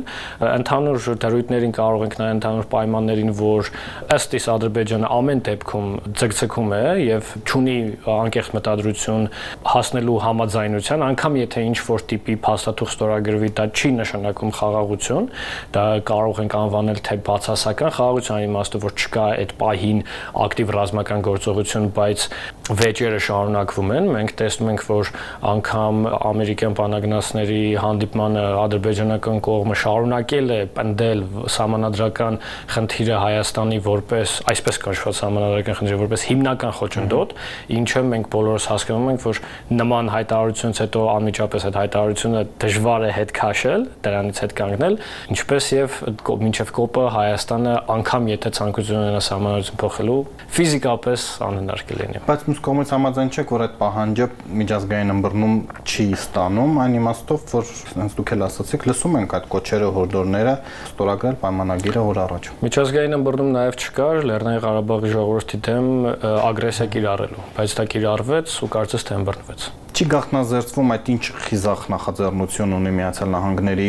ընդհանուր դրույթներին կարող ենք նայել ընդհանուր պայմաններին, որ ըստ իս Ադրբեջանը ամեն դեպքում ձգձգում է եւ չունի անկեղծ մտադրություն հասնելու համաձայնության, անգամ եթե ինչ որ տիպի փաստաթուղթ ստորագրվի, դա չի նշանակում խաղաղություն, դա կարող ենք անվանել թե բացասական խաղաղության իմաստով, որ չկա այդ պահին ակտիվ ռազմական գործողություն, բայց վեճերը շարունակվում են։ Մենք տեսնում ենք, որ անգամ ամերիկյան բանագնացների հանդիպմանը Ադրբեջանական կողմը շարունակել է պնդել սահմանադրական խնդիրը Հայաստանի որպես, այսպես կոչված սահմանադրական խնդիրը որպես հիմնական խոչընդոտ, ինչը մենք բոլորս հասկանում ենք, որ նման հայտարարությունից հետո անմիջապես այդ հայտարարությունը դժվար է հետ քաշել, դրանից հետ կանգնել, ինչպես եւ մինչեւ կոպը Հայաստանը անգամ եթե ցանկություն ունենա սահմանադրություն փոխելու, ֆիզիկապես անհնար կլինի։ Բայց մյուս կողմից համաձայն չեք, որ այդ պահանջը միջազգային ըմբռնում չի ստանում, այն իմաստով, որ հենց դուք էլ ասացիք, լսում ենք այդ կոչերը, հորդորները ստորագրել պայմանագիրը օր առաջ։ Միջազգային ըմբռնում նաև չկար Լեռնային Ղարաբաղի ժողովրդի դեմ ագրեսիա կիրառելու, բայց դա կիրառվեց ու կարծես թե ըմբռնվեց։ Չի գաղտնազերծվում այդ ինչ խիզախ նախաձեռնություն ունի Միացյալ Նահանգների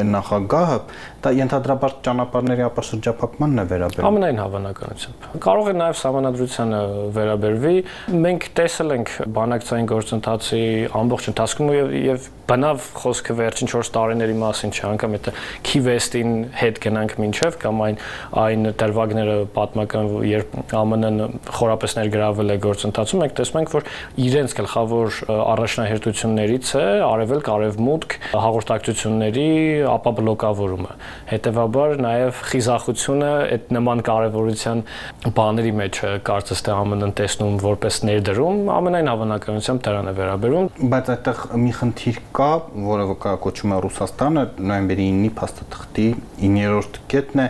նախագահը, դա ենթադրաբար ճանապարհների ապաշրջափակմանն է վերաբերում։ Ամենայն հավանականությամբ։ Կարող է նաև սահմանադրությանը վերաբերվի։ Մենք տեսել ենք բանակցային գործընթացի ամբողջ ընթացքում եւ բնավ խոսքը վերջին 4 տարիների մասին չէ, անգամ եթե Key-West-ին հետ գնանք մինչև կամ այն դրվագները պատմական, երբ ԱՄՆ-ն խորապես ներգրավել է գործընթացում, մենք տեսնում ենք, որ իրենց գլխավոր առաջնահերթություններից է արևելք-արևմուտք հաղորդակցությունների ապաբլոկավորումը։ Հետևաբար նաև խիզախությունը այդ նման կարևորության բաների մեջ կարծես թե ԱՄՆ-ն տեսնում որպես ներդրում, ամենայն հավանականությամբ դրան է վերաբերում, բայց այդտեղ մի խնդիր կա, որը կոչվում է Ռուսաստանը, նոյեմբերի 9-ի փաստաթղթի 9-րդ կետն է,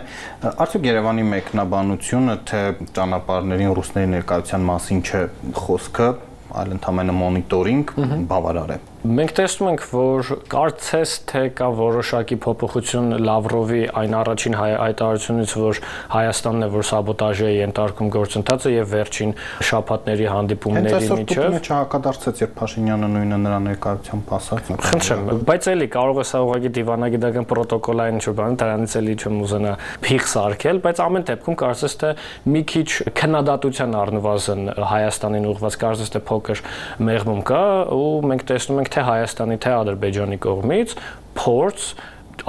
արդյոք Երևանի մեկնաբանությունը, թե ճանապարհներին ռուսների ներկայության մասին չէ խոսքը, այլ ընդհանրապես մոնիտորինգ բավարար է։ Մենք տեսնում ենք, որ կարծես թե կա որոշակի փոփոխություն Լավրովի այն առաջին հայտարարությունից, որ Հայաստանն է, որ սաբոտաժի է ենթարկում գործընթացը եւ վերջին շաբաթների հանդիպումների միջև։ Հենց չհակադարձեց, երբ Փաշինյանը նույնը նրա ներկայությամբ ասաց։ Խնդրեմ, բայց էլի կարող է սա ուղղակի դիվանագիտական պրոտոկոլային ինչ-որ բան, դրանից էլի չեմ ուզենա փիղ սարքել, բայց ամեն դեպքում կարծես թե մի քիչ քննադատության առնվազն Հայաստանին ուղղված կարծես թե փոքր մեղմում կա ու մենք տեսնում ենք թե Հայաստանի, թե Ադրբեջանի կողմից փորձ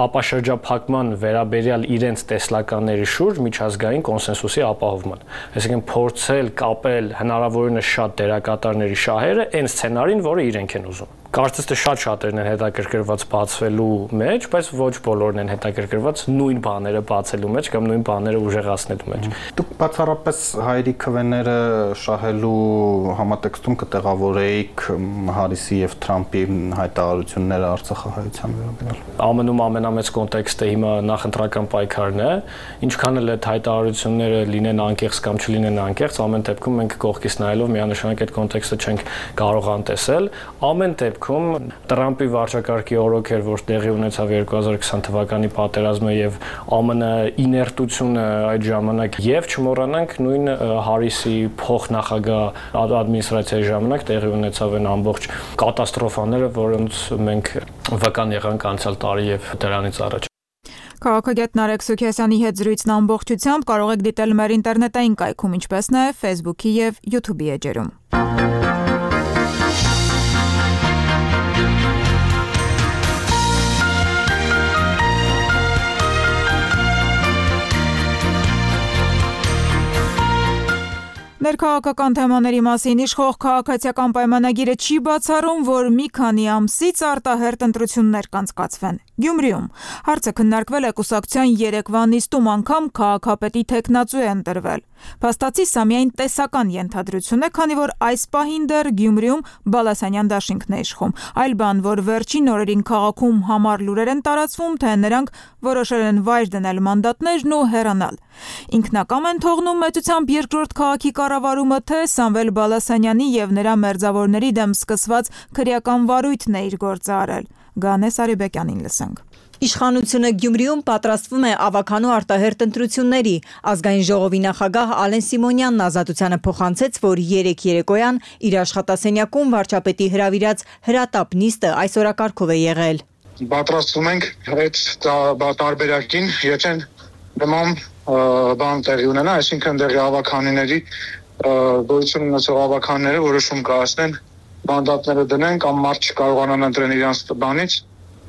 ապաշրջափակման վերաբերյալ իրենց տեսլականների շուրջ միջազգային կոնսենսուսի ապահովման։ Այսինքն փորձել կապել հնարավորինս շատ դերակատարների շահերը այն սցենարին, որը իրենք են ուզում։ Կարծես թե շատ-շատերն են հետաքրքրված բացվելու մեջ, բայց ոչ բոլորն են հետաքրքրված նույն բաները բացելու մեջ կամ նույն բաները ուժեղացնելու մեջ։ Դուք բացառապես հայերի քվեները շահելու համատեքստում կտեղավորեիք Հարիսի եւ Թրամփի հայտարարությունները Արցախահայության վերաբերյալ։ ԱՄՆ-ում ամենամեծ կոնտեքստը հիմա նախընտրական պայքարն է, ինչքան էլ այդ հայտարարությունները լինեն անկեղծ կամ չլինեն անկեղծ, ամեն դեպքում մենք կողքից նայելով միանշանակ այդ կոնտեքստը չենք կարող անտեսել։ Ամեն դեպքում Տրամպի վարչակարգի օրոք էր, որ տեղի ունեցավ 2020 թվականի պատերազմը եւ ԱՄՆ իներտությունը այդ ժամանակ եւ չմոռանանք նույն Հարիսի փոխնախագահ ադմինիստրացիայի ժամանակ տեղի ունեցավ այն ամբողջ կատաստրոֆաները, որոնց մենք վկան եղանք անցյալ տարի եւ դրանից առաջ։ Քաղաքագետ Նարեկ Սուքիասյանի հետ զրույցն ամբողջությամբ կարող եք դիտել մեր ինտերնետային կայքում, ինչպես նաեւ Facebook-ի եւ YouTube-ի էջերում։ Ներքաղաքական թեմաների մասին իշխող քաղաքացիական պայմանագիրը չի բացառում, որ մի քանի ամսից արտահերթ ընտրություններ կանցկացվեն Գյումրիում։ Հարցը քննարկվել է կուսակցության երեկվա նիստում, անգամ քաղաքապետի թեկնածու է ընտրվել։ Փաստացի սա միայն տեսական ենթադրություն է, քանի որ այս պահին դեռ Գյումրիում Բալասանյան դաշինքն է իշխում։ Այլ բան, որ վերջին օրերին քաղաքում համառ լուրեր են տարածվում, թե նրանք որոշել են վայր դնել մանդատներն ու հեռանալ։ Ինքնակամ են թողնում մեծությամբ երկրորդ քաղաքի կառավարումը, թե Սամվել Բալասանյանի եւ նրա մերձավորների դեմ սկսված քրեական վարույթն է իր գործը արել։ Գանե Սարիբեկյանին լսենք։ Իշխանությունը Գյումրիում պատրաստվում է ավականու արտահերթ ընտրությունների։ Ազգային ժողովի նախագահ Ալեն Սիմոնյանն Ազատությանը փոխանցեց, որ երեկոյան իր աշխատասենյակում վարչապետի հրավիրած հրատապ նիստը այս օրակարգով է եղել։ Պատրաստվում ենք այդ տարբերակին, եթե նման բան տեղի ունենա, այսինքն դեղի ավականիների գոյություն ունեցող ավականները որոշում կայացնեն, մանդատները դնեն կամ մարդ չկարողանան ընտրեն իրանց բանից,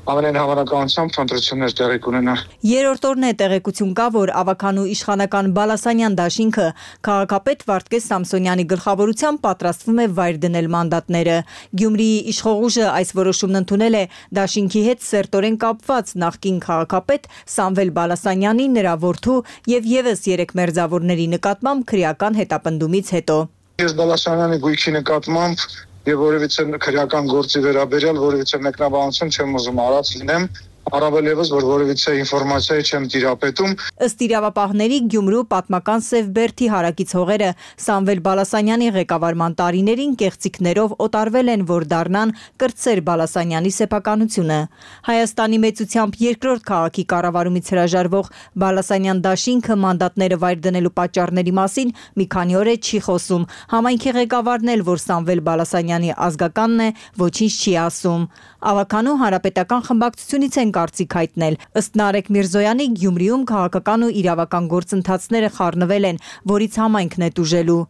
ամենայն հավանականությամբ ընտրություններ տեղի կունենան։ Երրորդ օրն է տեղեկություն կա, որ ավականու իշխանական Բալասանյան դաշինքը քաղաքապետ Վարդգես Սամսոնյանի գլխավորությամբ պատրաստվում է վայր դնել մանդատները։ Գյումրիի իշխող ուժը այս որոշումն ընդունել է դաշինքի հետ սերտորեն կապված նախկին քաղաքապետ Սամվել Բալասանյանի, նրա որդու եւ եւս 3 մերձավորների նկատմամբ քրեական հետապնդումից հետո։ Ես Բալասանյանի գույքի նկատմամբ եւ որևիցե քրեական գործի վերաբերյալ որևիցե մեկնաբանություն չեմ ուզում արած լինեմ, առավել եւս որ որևիցե ինֆորմացիա չեմ տիրապետում։ Ըստ իրավապահների Գյումրու պատմական Սև Բերդի հարակից հողերը Սամվել Բալասանյանի ղեկավարման տարիներին կեղծիքներով օտարվել են, որ դառնան կրտսեր Բալասանյանի սեփականությունը։ Հայաստանի մեծությամբ երկրորդ քաղաքի կառավարումից հրաժարվող Բալասանյան դաշինքը մանդատները վայր դնելու պատճառների մասին մի քանի օր է չի խոսում։ Համայնքի ղեկավարն էլ, որ Սամվել Բալասանյանի ազգականն է, ոչինչ չի ասում։ Ավականու հանրապետական խմբակցությունից են կարծիք հայտնել։ Ըստ Նարեկ Միրզոյանի Գյումրիում քաղաքական ու իրավական գործընթացները խառնվել են, որից համայնքն է տուժելու։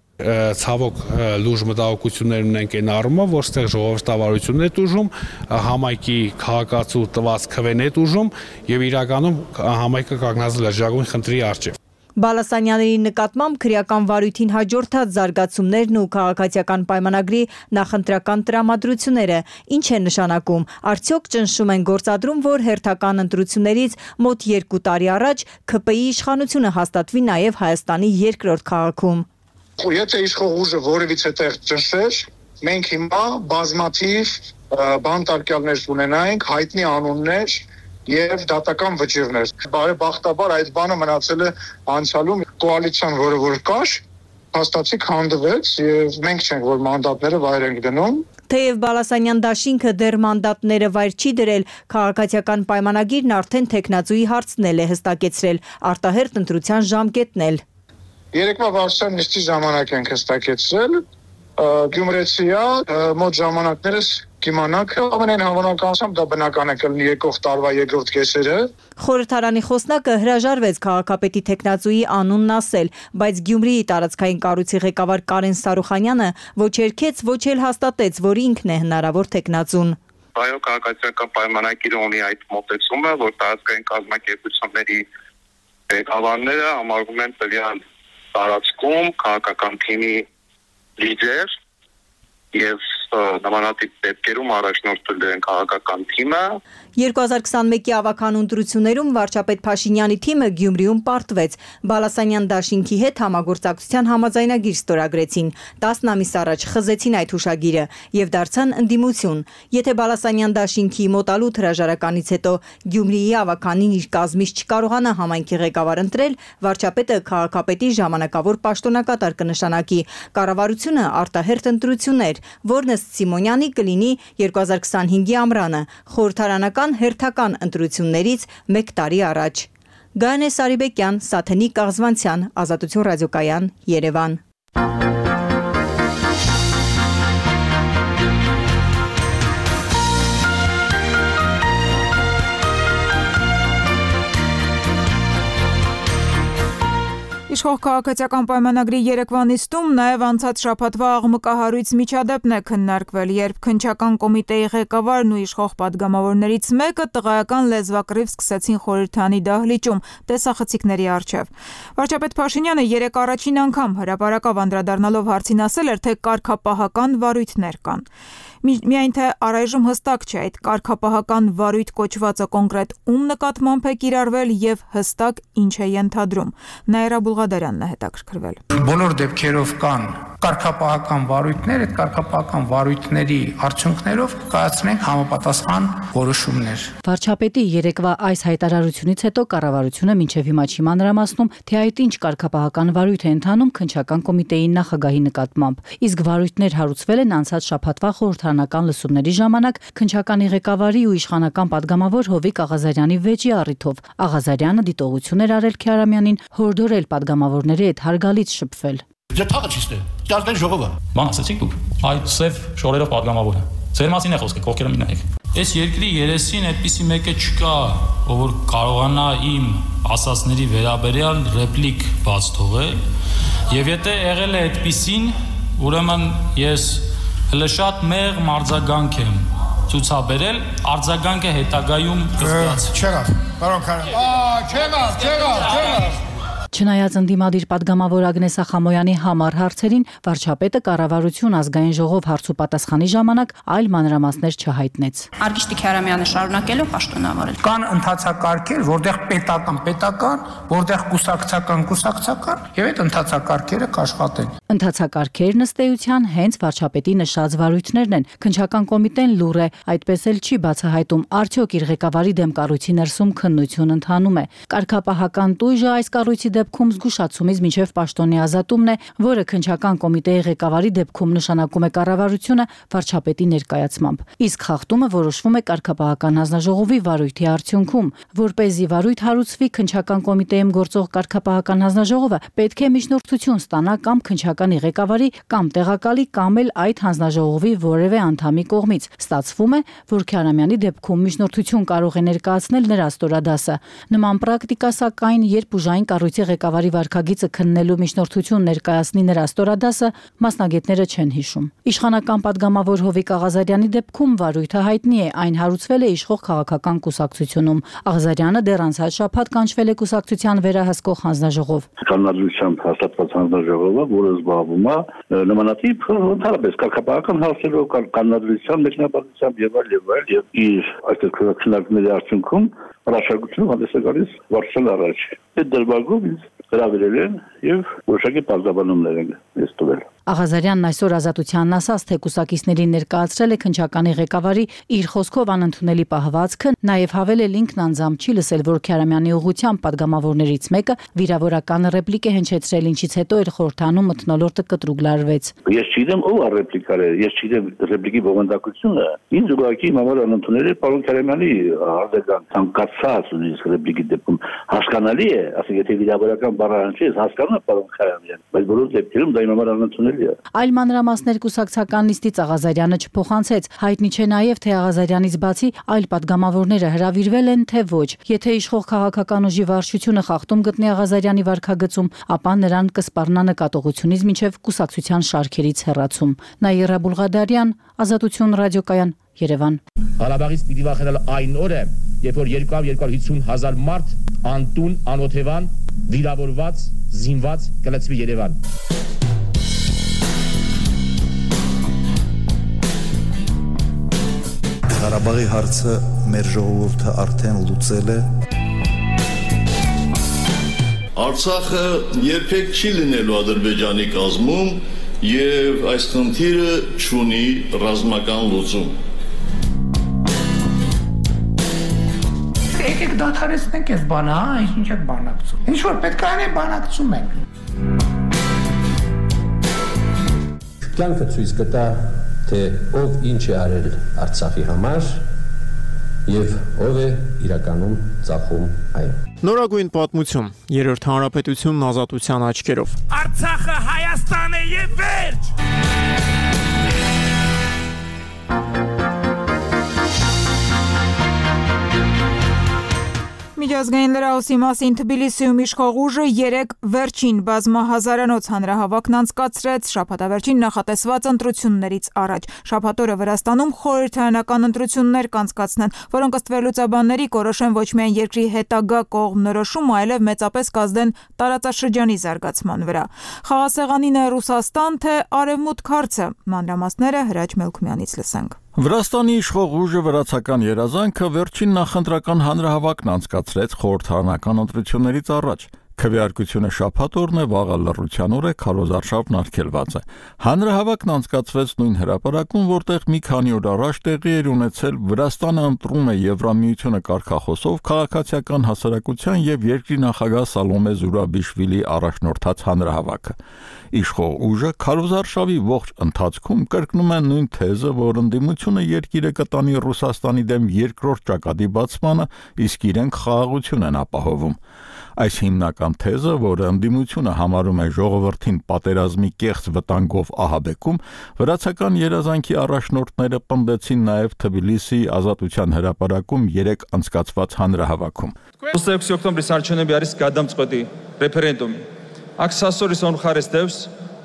Ցավոք լուրջ մտահոգություններ ունենք այն առումով, որ ստեղ ժողովրդավարությունն է տուժում, համայնքի քաղաքացու տված քվեն է տուժում եւ իրականում համայնքը կանգնած լրջագույն խնդրի առջև։ Բալասանյանների նկատմամբ քրեական վարույթին հաջորդած զարգացումներն ու քաղաքացիական պայմանագրի նախընտրական տրամադրությունները ինչ է նշանակում։ Արդյոք ճնշում են գործադրում, որ հերթական ընտրություններից մոտ 2 տարի առաջ ՔՊ-ի իշխանությունը հաստատվի նաև Հայաստանի երկրորդ քաղաքում։ Եթե իշխող ուժը որևիցե տեղ ճնշեր, մենք հիմա բազմաթիվ բանտարկյալներ ունենայինք, հայտնի անուններ եւ դատական վճիռներ։ Բարեբախտաբար այդ բանը մնացել է անցյալում, կոալիցիան, որը որ կար, հաստատի քանդվեց եւ մենք չենք որ մանդատները վայր ենք դնում։ Թեև Բալասանյան դաշինքը դեռ մանդատները վայր չի դրել, քաղաքացիական պայմանագիրն արդեն թեկնածուի հարցնել է հստակեցրել, արտահերթ ընտրության ժամկետն էլ։ Երեկվա վարչության նիստի ժամանակ ենք հստակեցրել, Գյումրեցիա մոտ ժամանակներս կիմանաք, ամենայն հավանականությամբ դա բնական է կլինի եկող տարվա երկրորդ կեսերը։ Խորհրդարանի խոսնակը հրաժարվեց քաղաքապետի թեկնածուի անունն ասել, բայց Գյումրիի տարածքային կառույցի ղեկավար Կարեն Սարուխանյանը ոչ երգեց, ոչ էլ հաստատեց, որ ինքն է հնարավոր թեկնածուն։ Այո, քաղաքացիական պայմանագիրը ունի այդ մոտեցումը, որ տարածքային կազմակերպությունների ղեկավարները համարվում են տվյալ տարածքում քաղաքական թիմի լիդեր եւ նմանատիպ դեպքերում առաջնորդել են քաղաքական թիմը։ 2021-ի ավականու ընտրություններում վարչապետ Փաշինյանի թիմը Գյումրիում պարտվեց։ Բալասանյան դաշինքի հետ համագործակցության համաձայնագիր ստորագրեցին։ 10 ամիս առաջ խզեցին այդ հուշագիրը եւ դարձան ընդդիմություն։ Եթե Բալասանյան դաշինքի մոտալուտ հրաժարականից հետո Գյումրիի ավականին իր կազմից չկարողանա համայնքի ղեկավար ընտրել, վարչապետը քաղաքապետի ժամանակավոր պաշտոնակատար կնշանակի։ Կառավարությունը արտահերթ ընտրություններ, որն ըստ Սիմոնյանի կլինի 2025-ի ամռանը, խորհրդարանական հերթական ընտրություններից 1 տարի առաջ։ Գանե Սարիբեկյան, Սաթենիկ Աղզվանցյան, Ազատություն ռադիոկայան, Երևան։ Իշխող քաղաքացիական պայմանագրի երեկվա նիստում նաև անցած շաբաթվա աղմկահարույց միջադեպն է քննարկվել, երբ քննչական կոմիտեի ղեկավարն ու իշխող падգամավորներից մեկը տղայական լեզվակռիվ սկսեցին խորհրդանի դահլիճում տեսախցիկների առջև։ Վարչապետ Փաշինյանը երեկ առաջին անգամ հրապարակավ անդրադառնալով հարցին ասել էր, թե կարգապահական վարույթներ կան։ Միայն թե առայժմ հստակ չէ այդ կարգապահական վարույթ կոչվածը կոնկրետ ում նկատմամբ է կիրառվել եւ հստակ ինչ է ենթադրում։ Նաիրա Բուլղադարյանն է հետաքրքրվել։ Բոլոր դեպքերով կան կարգապահական վարույթներ, այդ կարգապահական վարույթների արդյունքներով կայացնենք համապատասխան որոշումներ։ Վարչապետի երեկվա այս հայտարարությունից հետո կառավարությունը մինչև հիմա չի մանրամասնում, թե այդ ինչ կարգապահական վարույթ է ընթանում քննչական կոմիտեի նախագահի նկատմամբ։ Իսկ վարույթներ հարուցվել են անցած շաբաթվա խորհրդարանական լսումների ժամանակ քննչականի ղեկավարի ու իշխանական падգամավոր Հովիկ Աղազարյանի վեճի առիթով։ Աղազարյանը դիտողություն էր արել Քյարամյանին, հորդորել падգամավորների հետ հարգալից շփվել։ Ջաթաղը ճիշտ է։ Ճարտեն ժողովը։ Ման ասացիք դուք։ Այդ սև շորերով падգամավորը։ Ձեր մասին է խոսքը, կողքերը մի նայեք։ Այս երկրի երեսին այդպիսի մեկը չկա, ով որ կարողանա իմ ասածների վերաբերյալ ռեպլիկ բաց թողել, եւ եթե եղել է այդպիսին, ուրեմն ես հələ շատ մեղ արձագանք եմ ցուցաբերել, արձագանքը հետագայում կստացվի։ Չեղավ, պարոն Քարամյան։ Չեղավ։ Չնայած ընդդիմադիր падգամավոր Ագնես Ախամոյանի համառ հարցերին, վարչապետը կառավարություն ազգային ժողով հարցուպատասխանի ժամանակ այլ մանրամասներ չհայտնեց։ Արգիշտի Քյարամյանը շարունակելով պաշտոնավորել։ Կան ընթացակարգեր, որտեղ պետական, որտեղ կուսակցական, եւ այդ ընթացակարգերը կաշխատեն։ Ընթացակարգերն ըստ էության հենց վարչապետի նշած վարույթներն են։ Քննչական կոմիտեն լուր է, այդպես էլ չի բացահայտում, արդյոք իր ղեկավարի դեմ կառույցի ներսում քննություն ընթանում է։ Կարգապահական տույժը այս կառույցի դեպքում զգուշացումից մինչև պաշտոնի ազատումն է, որը քննչական կոմիտեի ղեկավարի դեպքում նշանակում է կառավարությունը վարչապետի ներկայացմամբ։ Իսկ խախտումը որոշվում է կարգապահական հանձնաժողովի վարույթի արդյունքում, որպեսզի վարույթ հարուցվի քննչական կոմիտեում գործող կարգապահական հանձնաժողովը պետք է միջնորդություն ստանա կամ քննչականի ղեկավարի կամ տեղակալի կամ էլ այդ հանձնաժողովի որևէ անդամի կողմից։ Ստացվում է, որ Քյարամյանի դեպքում միջնորդություն կարող է ներկայացնել նրա ստորադասը։ Նման պրակտիկա սակայն, երբ ուժային կառույցի ղեկավարի վարքագիծը քննելու միջնորդություն ներկայացնի նրա ստորադասը, մասնագետները չեն հիշում։ Իշխանական падգամավոր Հովիկ Աղազարյանի դեպքում վարույթը հայտնի է, այն հարուցվել է իշխող քաղաքական կուսակցությունում։ Աղազարյանը դեռ անցած շաբաթ կանչվել է կուսակցության վերահսկող հանձնաժողով։ Կանոնադրությամբ հաստատված հանձնաժողովը, որը զբաղվում է նմանատիպ ընդհանրապես կարգապահական հարցերով, կանոնադրությամբ, մեկնաբանությամբ եւ այլ եւ իր այստեղ քննարկումների արդյունքում առաջարկություն հանդես է գալիս վարչության առաջ։ Այդ դրվագով ինձ հրավիրել են եւ որոշակի բարձրաբանումներ են ստուգել։ Աղազարյանն այսօր Ազատությանն ասաց, թե կուսակիցների ներկայացրել է քննչականի ղեկավարի իր խոսքով անընդունելի պահվածքը, նաեւ հավելել ինքն անձամբ չի լսել, որ Քյարամյանի ուղղությամբ падգամավորներից մեկը վիրավորական ռեպլիկ է հնչեցրել, ինչից հետո իր խորհրդանում մթնոլորտը կտրուկ լարվեց։ Ես չգիտեմ ով է ռեպլիկարը, ես չգիտեմ ռեպլիկի բովանդակությունը։ Ինձ ուղղակի համար անընդունելի պարոն Քյարամյանի արձագանք ցանկացած ունի ռեպլիկի դեպքում հասկանալի է, ասենք եթե վիրավորական բառը հնչի, հասկանում է պարոն Քյարամյան, բայց բոլոր դեպքերում դա իմ համար անընդունելի։ Այլ մանրամասներ կուսակցական նիստից Աղազարյանը չփոխանցեց։ Հայտնի չէ նաև, թե Աղազարյանից բացի այլ падգամավորները հրավիրվել են, թե ոչ։ Եթե իշխող քաղաքական ուժի վարչությունը խախտում գտնի Աղազարյանի վարքագծում, ապա նրան կսպառնա նկատողությունից մինչև կուսակցության շարքերից հեռացում։ Նաիրա Բուլղադարյան, Ազատություն ռադիոկայան, Երևան։ Ղարաբաղից պիտի վախենալ այն օրը, երբ որ 250,000 մարդ անտուն, անօթևան, վիրավորված, զինված կլցվի Երևան։ Ղարաբաղի հարցը մեր ժողովուրդը արդեն լուծել է։ Արցախը երբեք չի լինելու Ադրբեջանի կազմում եւ այս խնդիրը չունի ռազմական լուծում։ Եկեք դադարեցնենք այս բանը, ինչ եք բանակցում։ Ինչ որ պետք է անենք, բանակցում ենք։ Կյանքը ցույց կտա, թե ով ինչ է արել Արցախի համար եւ ով է իրականում ծախում այն։ Նորագույն պատմություն, երրորդ հանրապետությունն ազատության աչքերով։ Արցախը Հայաստան է եւ վերջ։ միջազգային լրահոսի մասին Թբիլիսիում իշխող ուժը 3 վերջին բազմահազարանոց հանրահավաքն անցկացրեց շաբաթավերջին նախատեսված ընտրություններից առաջ։ Շաբաթ օրը Վրաստանում խորհրդարանական ընտրություններ կանցկացնեն, որոնք ըստ վերլուծաբանների կորոշեն ոչ միայն երկրի հետագա կողմնորոշումը, այլև մեծապես կազդեն տարածաշրջանի զարգացման վրա։ Խաղաղասեղանին է Ռուսաստան թե Արևմուտք հարցը։ Մանրամասները Հրաչ Մելքումյանից լսենք։ Վրաստանի իշխող ուժը վրացական երազանքը վերջին նախընտրական հանրահավաքն անցկացրեց խորհրդարանական ընտրություններից առաջ։ Քվեարկությունը շաբաթ օրն է, վաղը լռության օր է, քարոզարշավն արգելված է։ Հանրահավաքն անցկացվեց նույն հրապարակում, որտեղ մի քանի օր առաջ տեղի էր ունեցել Վրաստանը ընտրում է Եվրամիությունը կարգախոսով քաղաքացիական հասարակության եւ երկրի նախագահ Սալոմե Զուրաբիշվիլի առաջնորդած հանրահավաքը։ Իշխող ուժը քարոզարշավի ողջ ընթացքում կրկնում է նույն թեզը, որ ընդդիմությունը երկիրը կտանի Ռուսաստանի դեմ երկրորդ ճակատի բացմանը, իսկ իրենք խաղաղություն են ապահովում։ Այս հիմնական թեզը, որը ընդդիմությունը համարում է ժողովրդին պատերազմի կեղծ վտանգով ահաբեկում, վրացական երազանքի առաջնորդները պնդեցին նաև Թբիլիսիի Ազատության հրապարակում 3 անցկացված հանրահավաքում։ Օկտոբրի սարչոնեբի արիս կադամ ծկոտի ռեֆերենդումի։ Աքսասորիս on խարեստևս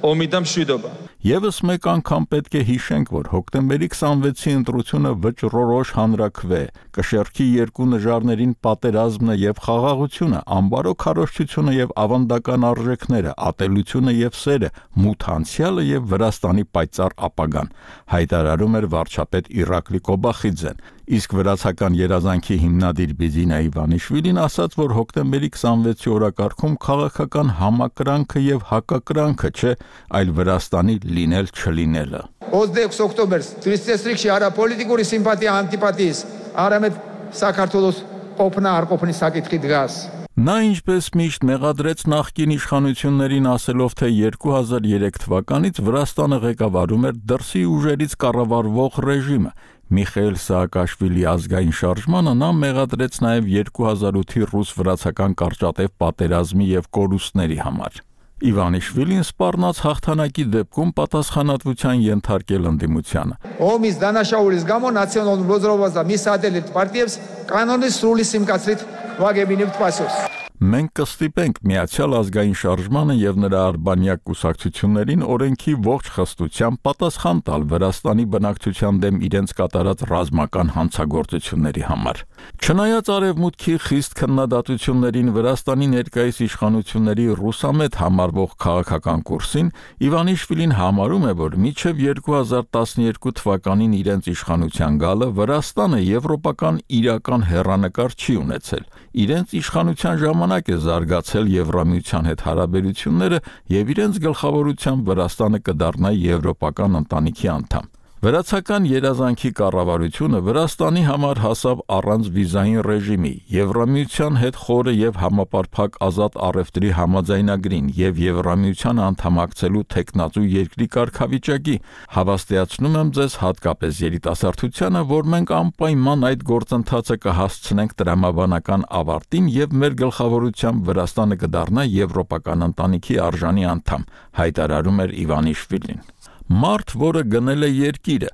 օմիդամ շուդոբա։ Եվս մեկ անգամ պետք է հիշենք, որ հոկտեմբերի 26-ի ընտրությունը վճռորոշ հանրաքվե կշեռքի երկու նժարներին պատերազմը եւ խաղաղությունը, անբարո քարոզչությունը եւ ավանդական արժեքները, ատելությունը եւ սերը, մութ անցյալը եւ Վրաստանի պայծառ ապագան, հայտարարում էր վարչապետ Իրակլի Կոբախիձեն։ Իսկ վրացական երազանքի հիմնադիր Բիձինա Իվանիշվիլին ասաց, որ հոկտեմբերի 26-ի օրակարգում քաղաքական համակրանքը եւ հակակրանքը չէ, այլ Վրաստանի լինել չլինելը։ 26 օկտոբեր 33 շիարա պոլիտիկուրի սիմպատիա անտիպատիս արամետ Սակարտոլոս օփնա արկոփնի սակիթի դգաս։ Նա ինչպես միշտ մեղադրեց նախկին իշխանություններին ասելով, թե 2003 թվականից Վրաստանը ղեկավարում էր դրսի ուժերից կառավարվող ռեժիմը։ Միխայել Սաակաշվիլի ազգային շարժմանը նա մեղադրեց նաև 2008-ի ռուս-վրացական կարճատև պատերազմի եւ կորուստների համար։ Իվանիշվիլին սպառնաց հաղթանակի դեպքում պատասխանատվության ենթարկել ընդդիմությանը։ Օմիս դանաշաուրիս գամո նացիոնալ ռոզրովազա միսադելիտ պարտիևս կանոնից սրուլի սիմկացրիտ վագեբինիվ տվասոս։ Մենք կստիպենք Միացյալ ազգային շարժմանը եւ նրա արբանյակ կուսակցություններին օրենքի ողջ խստությամբ պատասխան տալ Վրաստանի բնակչության դեմ իրենց կատարած ռազմական հանցագործությունների համար։ Չնայած արևմուտքի խիստ քննադատություններին Վրաստանի ներկայիս իշխանությունների ռուսամետ համարվող քաղաքական կուրսին, Իվանիշվիլին համարում է, որ մինչև 2012 թվականին իրենց իշխանության գալը Վրաստանը եվրոպական իրական հեռանկար չի ունեցել։ Իրենց իշխանության ժամանակ է զարգացել Եվրամիության հետ հարաբերությունները եւ իրենց գլխավորությամբ Վրաստանը կդառնա եվրոպական ընտանիքի անդամ։ Վրացական երազանքի կառավարությունը Վրաստանի համար հասավ առանց վիզային ռեժիմի, Եվրամիության հետ խորը եւ համապարփակ ազատ առևտրի համաձայնագրին եւ Եվրամիության անդամակցելու տեխնացու երկրի կարգավիճակի։ Հավաստիացնում եմ ձեզ հատկապես երիտասարդությանը, որ մենք անպայման այդ գործընթացը կհասցնենք տրամաբանական ավարտին եւ մեր գլխավորությամբ Վրաստանը կդառնա եվրոպական ընտանիքի արժանի անդամ, հայտարարում էր Իվանիշվիլին։ Մարդ, որը գնել է երկիրը,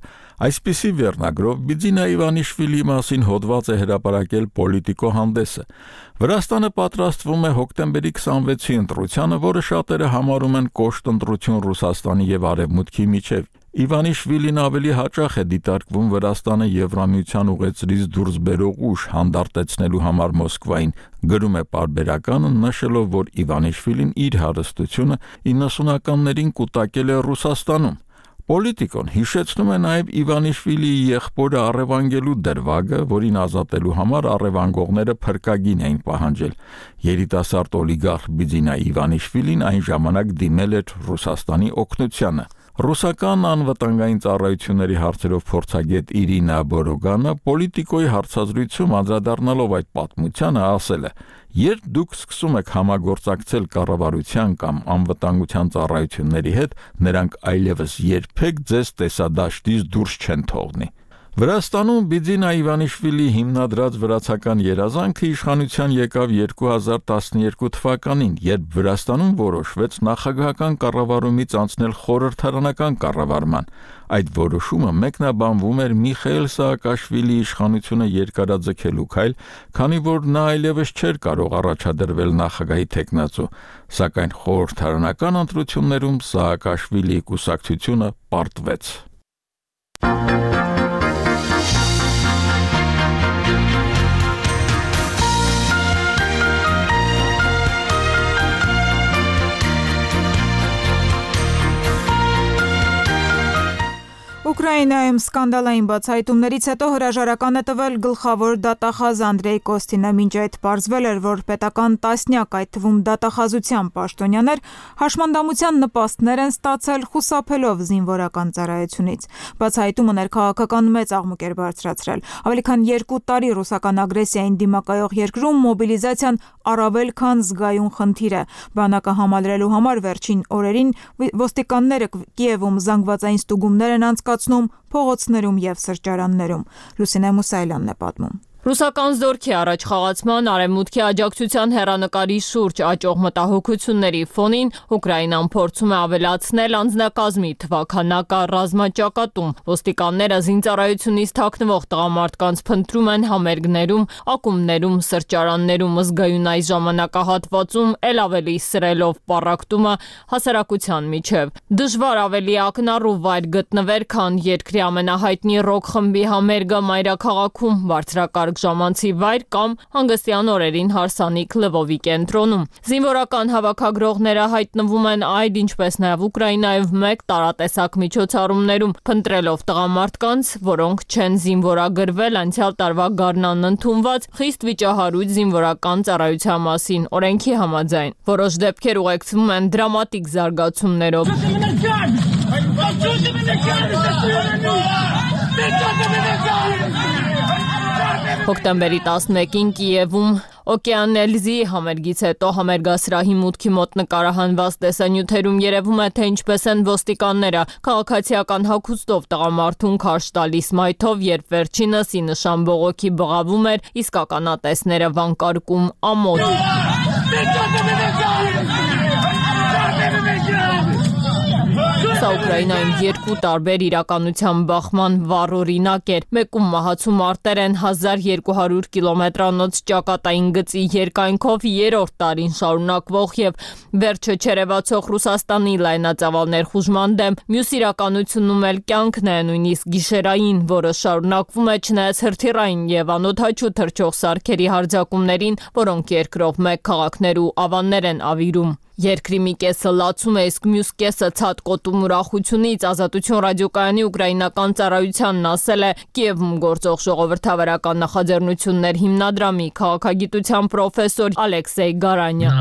այսպիսի վերնագրով Բիձինա Իվանիշվիլի մասին հոդված է հրապարակել Պոլիտիկո հանդեսը։ Վրաստանը պատրաստվում է հոկտեմբերի 26-ի ընտրությանը, որը շատերը համարում են կոշտ ընտրություն Ռուսաստանի եւ Արևմուտքի միջև։ Իվանիշվիլին ավելի հաճախ է դիտարկվում Վրաստանը Եվրամիության ուղեցրից դուրս բերող ուժ հանդարտեցնելու համար Մոսկվային, գրում է պարբերականը, նշելով, որ Իվանիշվիլին իր հարստությունը 90-ականներին կուտակել է Ռուսաստանում։ Պոլիտիկոն հիշեցնում է նաև Իվանիշվիլիի եղբորը առևանգելու դրվագը, որին ազատելու համար առևանգողները փրկագին էին պահանջել։ Երիտասարդ օլիգարխ Բիձինա Իվանիշվիլին այն ժամանակ դիմել էր Ռուսաստանի օգնությանը։ Ռուսական անվտանգային ծառայությունների հարցերով փորձագետ Իրինա Բորոգանը Պոլիտիկոյի հարցազրույցում անդրադառնալով այդ պատմությանը ասել է. «Երբ դուք սկսում եք համագործակցել կառավարության կամ անվտանգության ծառայությունների հետ, նրանք այլևս երբեք ձեզ տեսադաշտից դուրս չեն թողնի»։ Վրաստանում Բիձինա Իվանիշվիլի հիմնադրած վրացական երազանքը իշխանության եկավ 2012 թվականին, երբ Վրաստանում որոշվեց նախագահական կառավարումից անցնել խորհրդարանական կառավարման։ Այդ որոշումը մեկնաբանվում էր Միխայել Սաակաշվիլի իշխանությունը երկարաձգելու քայլ, քանի որ նա այլևս չէր կարող առաջադրվել նախագահի թեկնածու, սակայն խորհրդարանական ընտրություններում Սաակաշվիլիի կուսակցությունը պարտվեց։ Ուկրաինայում սկանդալային բացահայտումներից հետո հրաժարական է տվել գլխավոր դատախազ Անդրեյ Կոստինը, մինչ այդ պարզվել էր, որ պետական տասնյակ, այդ թվում դատախազության պաշտոնյաներ, հաշմանդամության նպաստներ են ստացել խուսափելով զինվորական ծառայությունից։ Բացահայտումը ներքաղաքական մեծ աղմուկ էր բարձրացրել։ Ավելի քան 2 տարի ռուսական ագրեսիային դիմակայող երկրում մոբիլիզացիան առավել քան զգայուն խնդիր է։ Բանակը համալրելու համար վերջին օրերին ոստիկանները Կիևում զանգվածային ստուգումներ են անցկացնում փողոցներում եւ սրճարաններում։ Լուսինե Մուսայելյանն է պատմում։ Ռուսական զորքի առաջխաղացման արևմուտքի աջակցության հեռանկարի շուրջ աճող մտահոգությունների ֆոնին Ուկրաինան փորձում է ավելացնել անձնակազմի թվաքանակը ռազմաճակատում։ Ոստիկանները զինծառայությունից թաքնվող տղամարդկանց փնտրում են համերգներում, ակումբներում, սրճարաններում, զգայուն այս ժամանակահատվածում էլ ավելի սրելով պառակտումը հասարակության միջև։ Դժվար ավելի ակնառու վայր գտնվեր, քան երկրի ամենահայտնի ռոք խմբի համերգը մայրաքաղաքում, բարձրակարգ ժամանցի վայր կամ հանգստյան օրերին հարսանիք Լվովի կենտրոնում։ Զինվորական հավաքագրողները հայտնվում են այդ, ինչպես նաև Ուկրաինայով մեկ տարատեսակ միջոցառումներում, փնտրելով տղամարդկանց, որոնք չեն զինվորագրվել անցյալ տարվա գարնան ընդունված խիստ վիճահարույց զինվորական ծառայության մասին օրենքի համաձայն։ Որոշ դեպքեր ուղեկցվում են դրամատիկ զարգացումներով։ Հոկտեմբերի 11-ին Կիևում Օկեանելզի համերգից հետո համերգասրահի մուտքի մոտ նկարահանված տեսանյութերում երևում է, թե ինչպես են ոստիկանները քաղաքացիական հագուստով տղամարդուն քարշ տալիս մայթով, երբ վերջինս ի նշան բողոքի բղավում էր, իսկ ականատեսները վանկարկում ամոթ։ Սա Ուկրաինայում 2 տարբեր իրականության բախման վառ օրինակ էր։ Մեկում մահացու մարտեր են 1200 կիլոմետրանոց ճակատային գծի երկայնքով 3-րդ տարին շարունակվող եւ վերջը չերևացող Ռուսաստանի լայնածավալ ներխուժման դեմ, մյուս իրականությունում էլ կյանքն է, նույնիսկ գիշերային, որը շարունակվում է չնայած հրթիռային եւ անօդաչու թռչող սարքերի հարձակումներին, որոնք երկրով մեկ քաղաքներ ու ավաններ են ավիրում։ Երկրի մի կեսը լացում է, իսկ մյուս կեսը ցածկոտում ուրախությունից։ Ազատություն ռադիոկայանի ուկրաինական ծառայությանն ասել է Կիևում գործող ժողովրդավարական նախաձեռնություններ հիմնադրամի քաղաքագիտության պրոֆեսոր Ալեքսեյ Գարանյանը։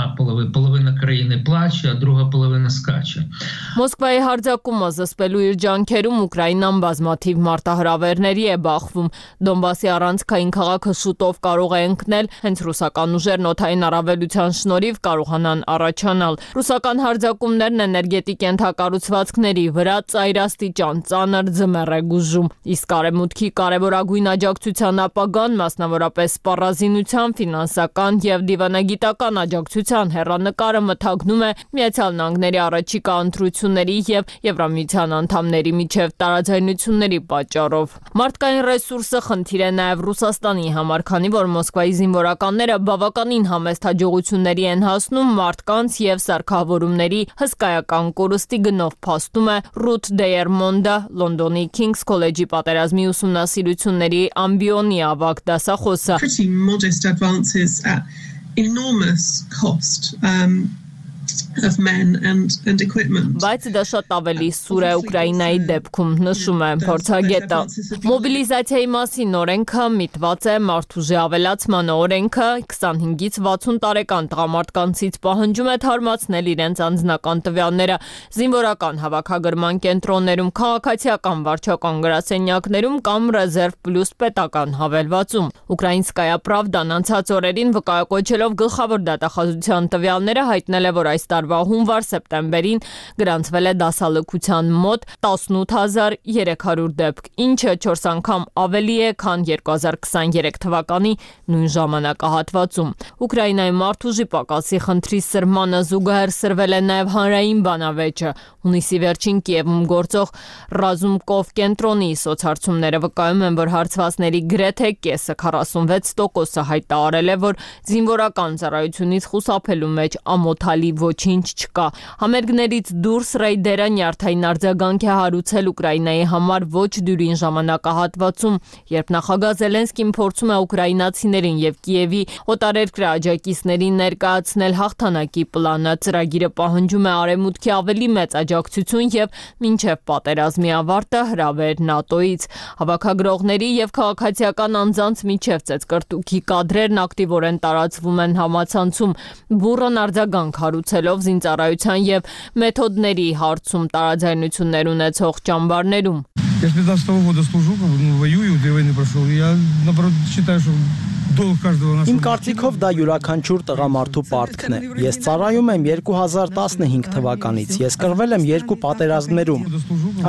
Մոսկվայի հարձակումը զսպելու իր ջանքերում Ուկրաինան բազմաթիվ մարտահրավերների է բախվում։ Դոնբասի առանցքային քաղաքը շուտով կարող է ընկնել, հենց ռուսական ուժերն օդային առավելության շնորհիվ կարողանան առաջանալ։ Ռուսական հարձակումներն էներգետիկ ենթակառուցվածքների վրա ծայրաստիճան ծանր ձմեռ է գուժում, իսկ արևմուտքի կարևորագույն աջակցության ապագան, մասնավորապես սպառազինության, ֆինանսական եւ դիվանագիտական աջակցության հեռանկարը մթագնում է Միացյալ Նահանգների առաջիկա ընտրությունների եւ Եվրամիության անդամների միջև տարաձայնությունների պատճառով։ Մարդկային ռեսուրսը խնդիր է նաեւ Ռուսաստանի համար, քանի որ Մոսկվայի զինվորականները բավականին համեստ հաջողությունների են հասնում մարդկանց եւ սարքավորումների հսկայական կորստի գնով, փաստում է Ռութ Դեյերմոնդը, Լոնդոնի Քինգս քոլեջի պատերազմի ուսումնասիրությունների ամբիոնի ավագ դասախոսը։ Բայց դա շատ ավելի սուր է Ուկրաինայի դեպքում, նշում է փորձագետը։ Մոբիլիզացիայի մասին օրենքը միտված է մարդուժի ավելացմանը։ Օրենքը 25-ից 60 տարեկան տղամարդկանցից պահանջում է թարմացնել իրենց անձնական տվյալները զինվորական հավաքագրման կենտրոններում, քաղաքացիական վարչական գրասենյակներում կամ ռեզերվ պլյուս պետական հավելվածում։ Ուկրաինսկայա պրավդան անցած օրերին վկայակոչելով գլխավոր դատախազության տվյալները հայտնել է, որ այս այս տարվա հունվար-սեպտեմբերին գրանցվել է դասալքության մոտ 18300 դեպք, ինչը 4 անգամ ավելի է, քան 2023 թվականի նույն ժամանակահատվածում։ Ուկրաինայի մարդուժի պակասի խնդրի սրմանը զուգահեռ սրվել է նաև հանրային բանավեճը։ Հունիսի վերջին Կիևում գործող Ռազումկով կենտրոնի սոցհարցումները վկայում են, որ հարցվածների գրեթե կեսը 46%-ը հայտարարել է, որ զինվորական ծառայությունից խուսափելու մեջ ամոթալի ոչինչ չկա։ Համերգներից դուրս ռեյդերը նյարդային արձագանք է հարուցել Ուկրաինայի համար ոչ դյուրին ժամանակահատվածում, երբ նախագահ Զելենսկին փորձում է ուկրաինացիներին եւ Կիևի օտարերկրյա աջակիցներին ներկայացնել հաղթանակի պլանը։ Ծրագիրը պահանջում է արևմուտքի ավելի մեծ աջակցություն եւ մինչեւ պատերազմի ավարտը հրավեր ՆԱՏՕ-ից։ Հավաքագրողների եւ քաղաքացիական անձանց միջև ծեծկռտուքի կադրերն ակտիվորեն տարածվում են համացանցում, բուռն արձագանք հարուցելով զինծառայության եւ մեթոդների հարցում տարաձայնություններ ունեցող ճամբարներում։ Я с 15 года служу, воюю, 2 войны прошел. Я, наоборот, считаю, что долг каждого нашего... Իմ կարծիքով դա յուրաքանչյուր տղամարդու պարտքն է։ Ես ծառայում եմ 2015 թվականից։ Ես կռվել եմ 2 պատերազմներում։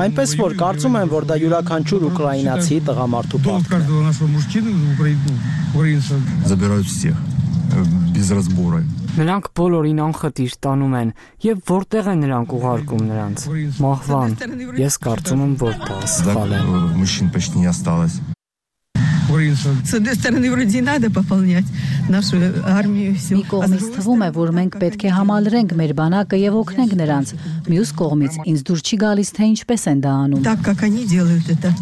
Այնպես որ կարծում եմ, որ դա յուրաքանչյուր ուկրաինացի տղամարդու պարտքն է։ Забирают всех без разбора. Նրանք բոլորին անխտիր տանում են, եւ որտեղ են նրանք уղարկում նրանց։ Մահվան։ Ես կարծում եմ, որ դա սխալ է։ Мужчин почти не осталось. С одной стороны, вроде надо пополнять нашу армию. Մի կողմից թվում է, որ մենք պետք է համալրենք մեր բանակը եւ օգնենք նրանց։ Մյուս կողմից ինձ դուր չի գալիս, թե ինչպես են դա անում։ Так как они делают это,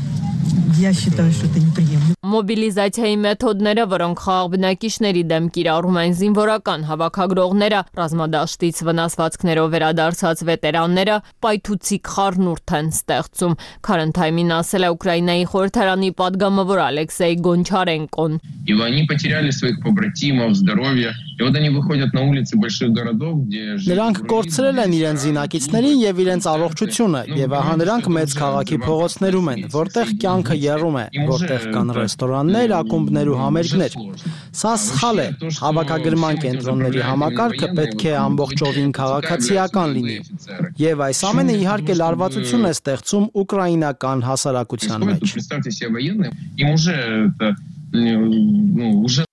я считаю, что это неприемлемо. Մոբիլիզացիայի մեթոդները, որոնք խաղաղ բնակիչների դեմ կիրառում են զինվորական հավաքագրողները, ռազմադաշտից վնասվածքներով վերադարձած վետերանները, պայթուցիկ խառնուրդ են ստեղծում։ Current Time-ին ասել է Ուկրաինայի խորհրդարանի падգամավոր Ալեքսեյ Գոնչարենկոն։ И они потеряли своих побратимов, здоровье. И вот они выходят на улицы больших городов, где Նրանք կորցրել են իրենց զինակիցներին եւ իրենց առողջությունը, եւ ահա նրանք մեծ քաղաքի փողոցներում են, որտեղ կյանքը եռում է, որտեղ կան ռեստորաններ, ակումբներ ու համերգներ։ Սա սխալ է։ Հավաքագրման կենտրոնների համակարգը պետք է ամբողջովին քաղաքացիական լինի։ Եվ այս ամենը իհարկե լարվածություն է ստեղծում ուկրաինական հասարակության մեջ։ Представьте себе военные, им уже это уже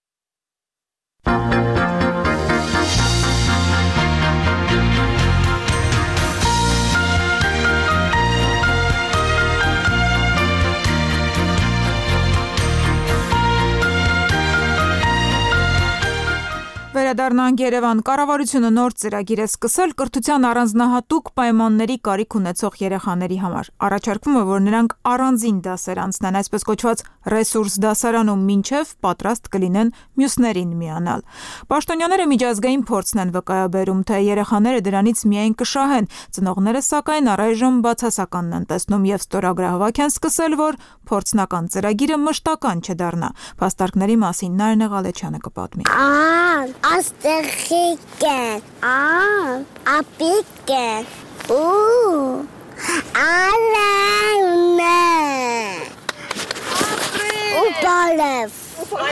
Վերադառնանք Երևան։ Կառավարությունը նոր ծրագիր է սկսել կրթության առանձնահատուկ պայմանների կարիք ունեցող երեխաների համար։ Առաջարկվում է, որ նրանք առանձին դասեր անցնեն, այսպես կոչված ռեսուրս դասարանում, մինչև պատրաստ կլինեն մյուսներին միանալ։ Պաշտոնյաները միջազգային փորձն են վկայաբերում, թե երեխաները դրանից միայն կշահեն։ Ծնողները սակայն առայժմ բացասականն են տեսնում եւ ստորագրահավաք են սկսել, որ փորձնական ծրագիրը մշտական չդառնա։ Փաստարկների մասին Նարինե Ղալեչյանը կպատմի։ Աստղիկեն, ապիկեն, ալավնե,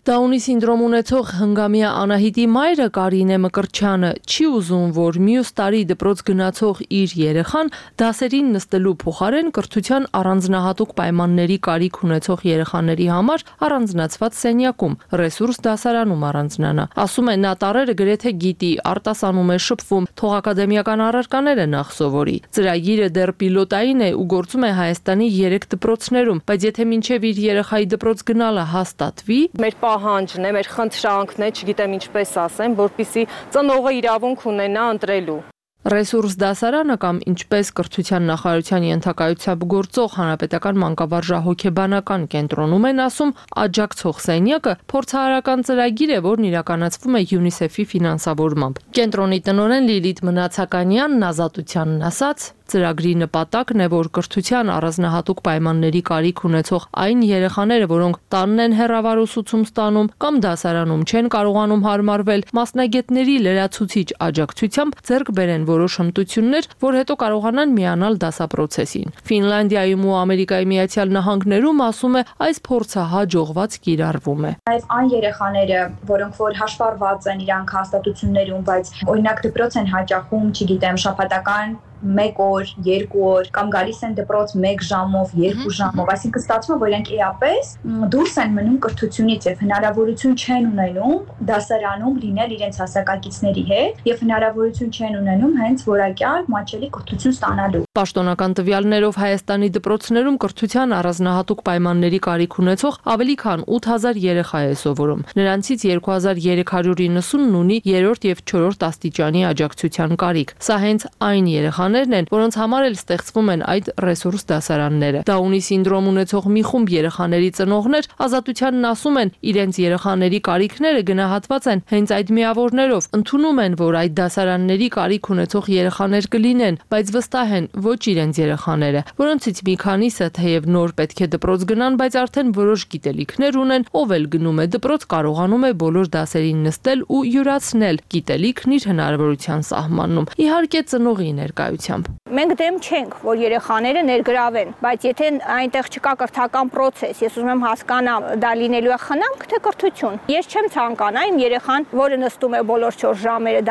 Դաունի սինդրոմ ունեցող հնգամյա Անահիտի մայրը Կարինե Մկրտչյանը չի ուզում, որ մյուս տարի դպրոց գնացող իր երեխան դասերին նստելու փոխարեն կրթության առանձնահատուկ պայմանների կարիք ունեցող երեխաների համար առանձնացված սենյակում, ռեսուրս դասարանում առանձնանա։ Ասում է, նա տարերը գրեթե գիտի, արտասանում է, շփվում, թող ակադեմիական առարկաները նախ սովորի։ Ծրագիրը դեռ պիլոտային է ու գործում է Հայաստանի 3 դպրոցներում, բայց եթե մինչև իր երեխայի դպրոց գնալը հաստատվի, մեր պահանջն է, մեր խնդրանքն է, չգիտեմ ինչպես ասեմ, որպեսզի ծնողը իրավունք ունենա ընտրելու։ Ռեսուրս դասարանը կամ ինչպես կրթության նախարարության ենթակայությամբ գործող հանրապետական մանկավարժահոգեբանական կենտրոնում են ասում, աջակցող սենյակը փորձարարական ծրագիր է, որն իրականացվում է ՅՈՒՆԻՍԵՖ-ի ֆինանսավորմամբ։ Կենտրոնի տնօրեն Լիլիթ Մնացականյանն ազատությանն ասաց, ծրագրի նպատակն է, որ կրթության առանձնահատուկ պայմանների կարիք ունեցող այն երեխաները, որոնք տանն են հեռավար ուսուցում ստանում կամ դասարանում չեն կարողանում հարմարվել, մասնագետների լրացուցիչ աջակցությամբ ձեռք բերեն որոշ հմտություններ, որ հետո կարողանան միանալ դասապրոցեսին։ Ֆինլանդիայում ու Ամերիկայի Միացյալ Նահանգներում ասում է այս փորձը հաջողված կիրառվում է։ Այս այն երեխաները, որոնք որ հաշվառված են իրանք հաստատություններում, բայց օրինակ դպրոց են հաճախում, չգիտեմ, շաբաթական 1 օր, 2 օր կամ գալիս են դպրոց 1 ժամով, 2 ժամով, այսինքն ստացվում է, որ իրենք էապես դուրս են մնում կրթությունից եւ հնարավորություն չեն ունենում դասարանում լինել իրենց հասակակիցների հետ եւ հնարավորություն չեն ունենում հենց որակյալ մատչելի կրթություն ստանալու։ Պաշտոնական տվյալներով Հայաստանի դպրոցներում կրթության առանձնահատուկ պայմանների կարիք ունեցող ավելի քան 8000 երեխա է սովորում։ Նրանցից 2390-ն ունի 3-րդ եւ 4-րդ աստիճանի աջակցության կարիք։ Սա հենց այն երեխաներն են, որոնց համար էլ ստեղծվում են այդ ռեսուրս դասարանները։ Դաունի սինդրոմ ունեցող մի խումբ երեխաների ծնողներ Ազատությանն ասում են, իրենց երեխաների կարիքները գնահատված են հենց այդ միավորներով։ Ընդունում են, որ այդ դասարանների կարիք ունեցող երեխաներ կլինեն, բայց վստահ են, ոչ իրենց երեխաները, որոնցից մի քանիսը թեև նոր պետք է դպրոց գնան, բայց արդեն որոշ գիտելիքներ ունեն, ով էլ գնում է դպրոց, կարողանում է բոլոր դասերին նստել ու յուրացնել գիտելիքն իր հնարավորության սահմանում։ Իհարկե ծնողի ներկայությամբ։ Մենք դեմ չենք, որ երեխաները ներգրավեն, բայց եթե այնտեղ չկա կրթական process, ես ուզում եմ հասկանամ, դա լինելու է խնամք թե կրթություն։ Ես չեմ ցանկանա իմ երեխան, որը նստում է բոլոր 4 ժամերը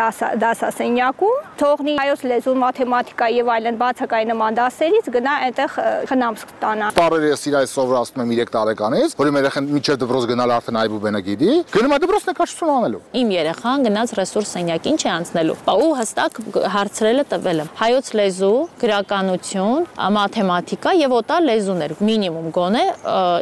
դասասենյակում, թողնի հայոց լեզուն, մաթեմատիկա եւ այլն բացակայի նման դասերից գնա այնտեղ խնամք ստանա։ Տարերը ես իրայ սովորացնում եմ 3 տարեկանից, որ իմ երեխան միջև դպրոց գնալ արդեն այբուբենը գիտի, գնում է դպրոց նկարչություն անելու։ Իմ երեխան գնաց ռեսուրս սենյակ, ինչ է անցնելու։ Ու հստակ հարցրելը տվել եմ։ Հայոց լեզու, գրականություն, մաթեմատիկա եւ օտար լեզուներ մինիմում գոնե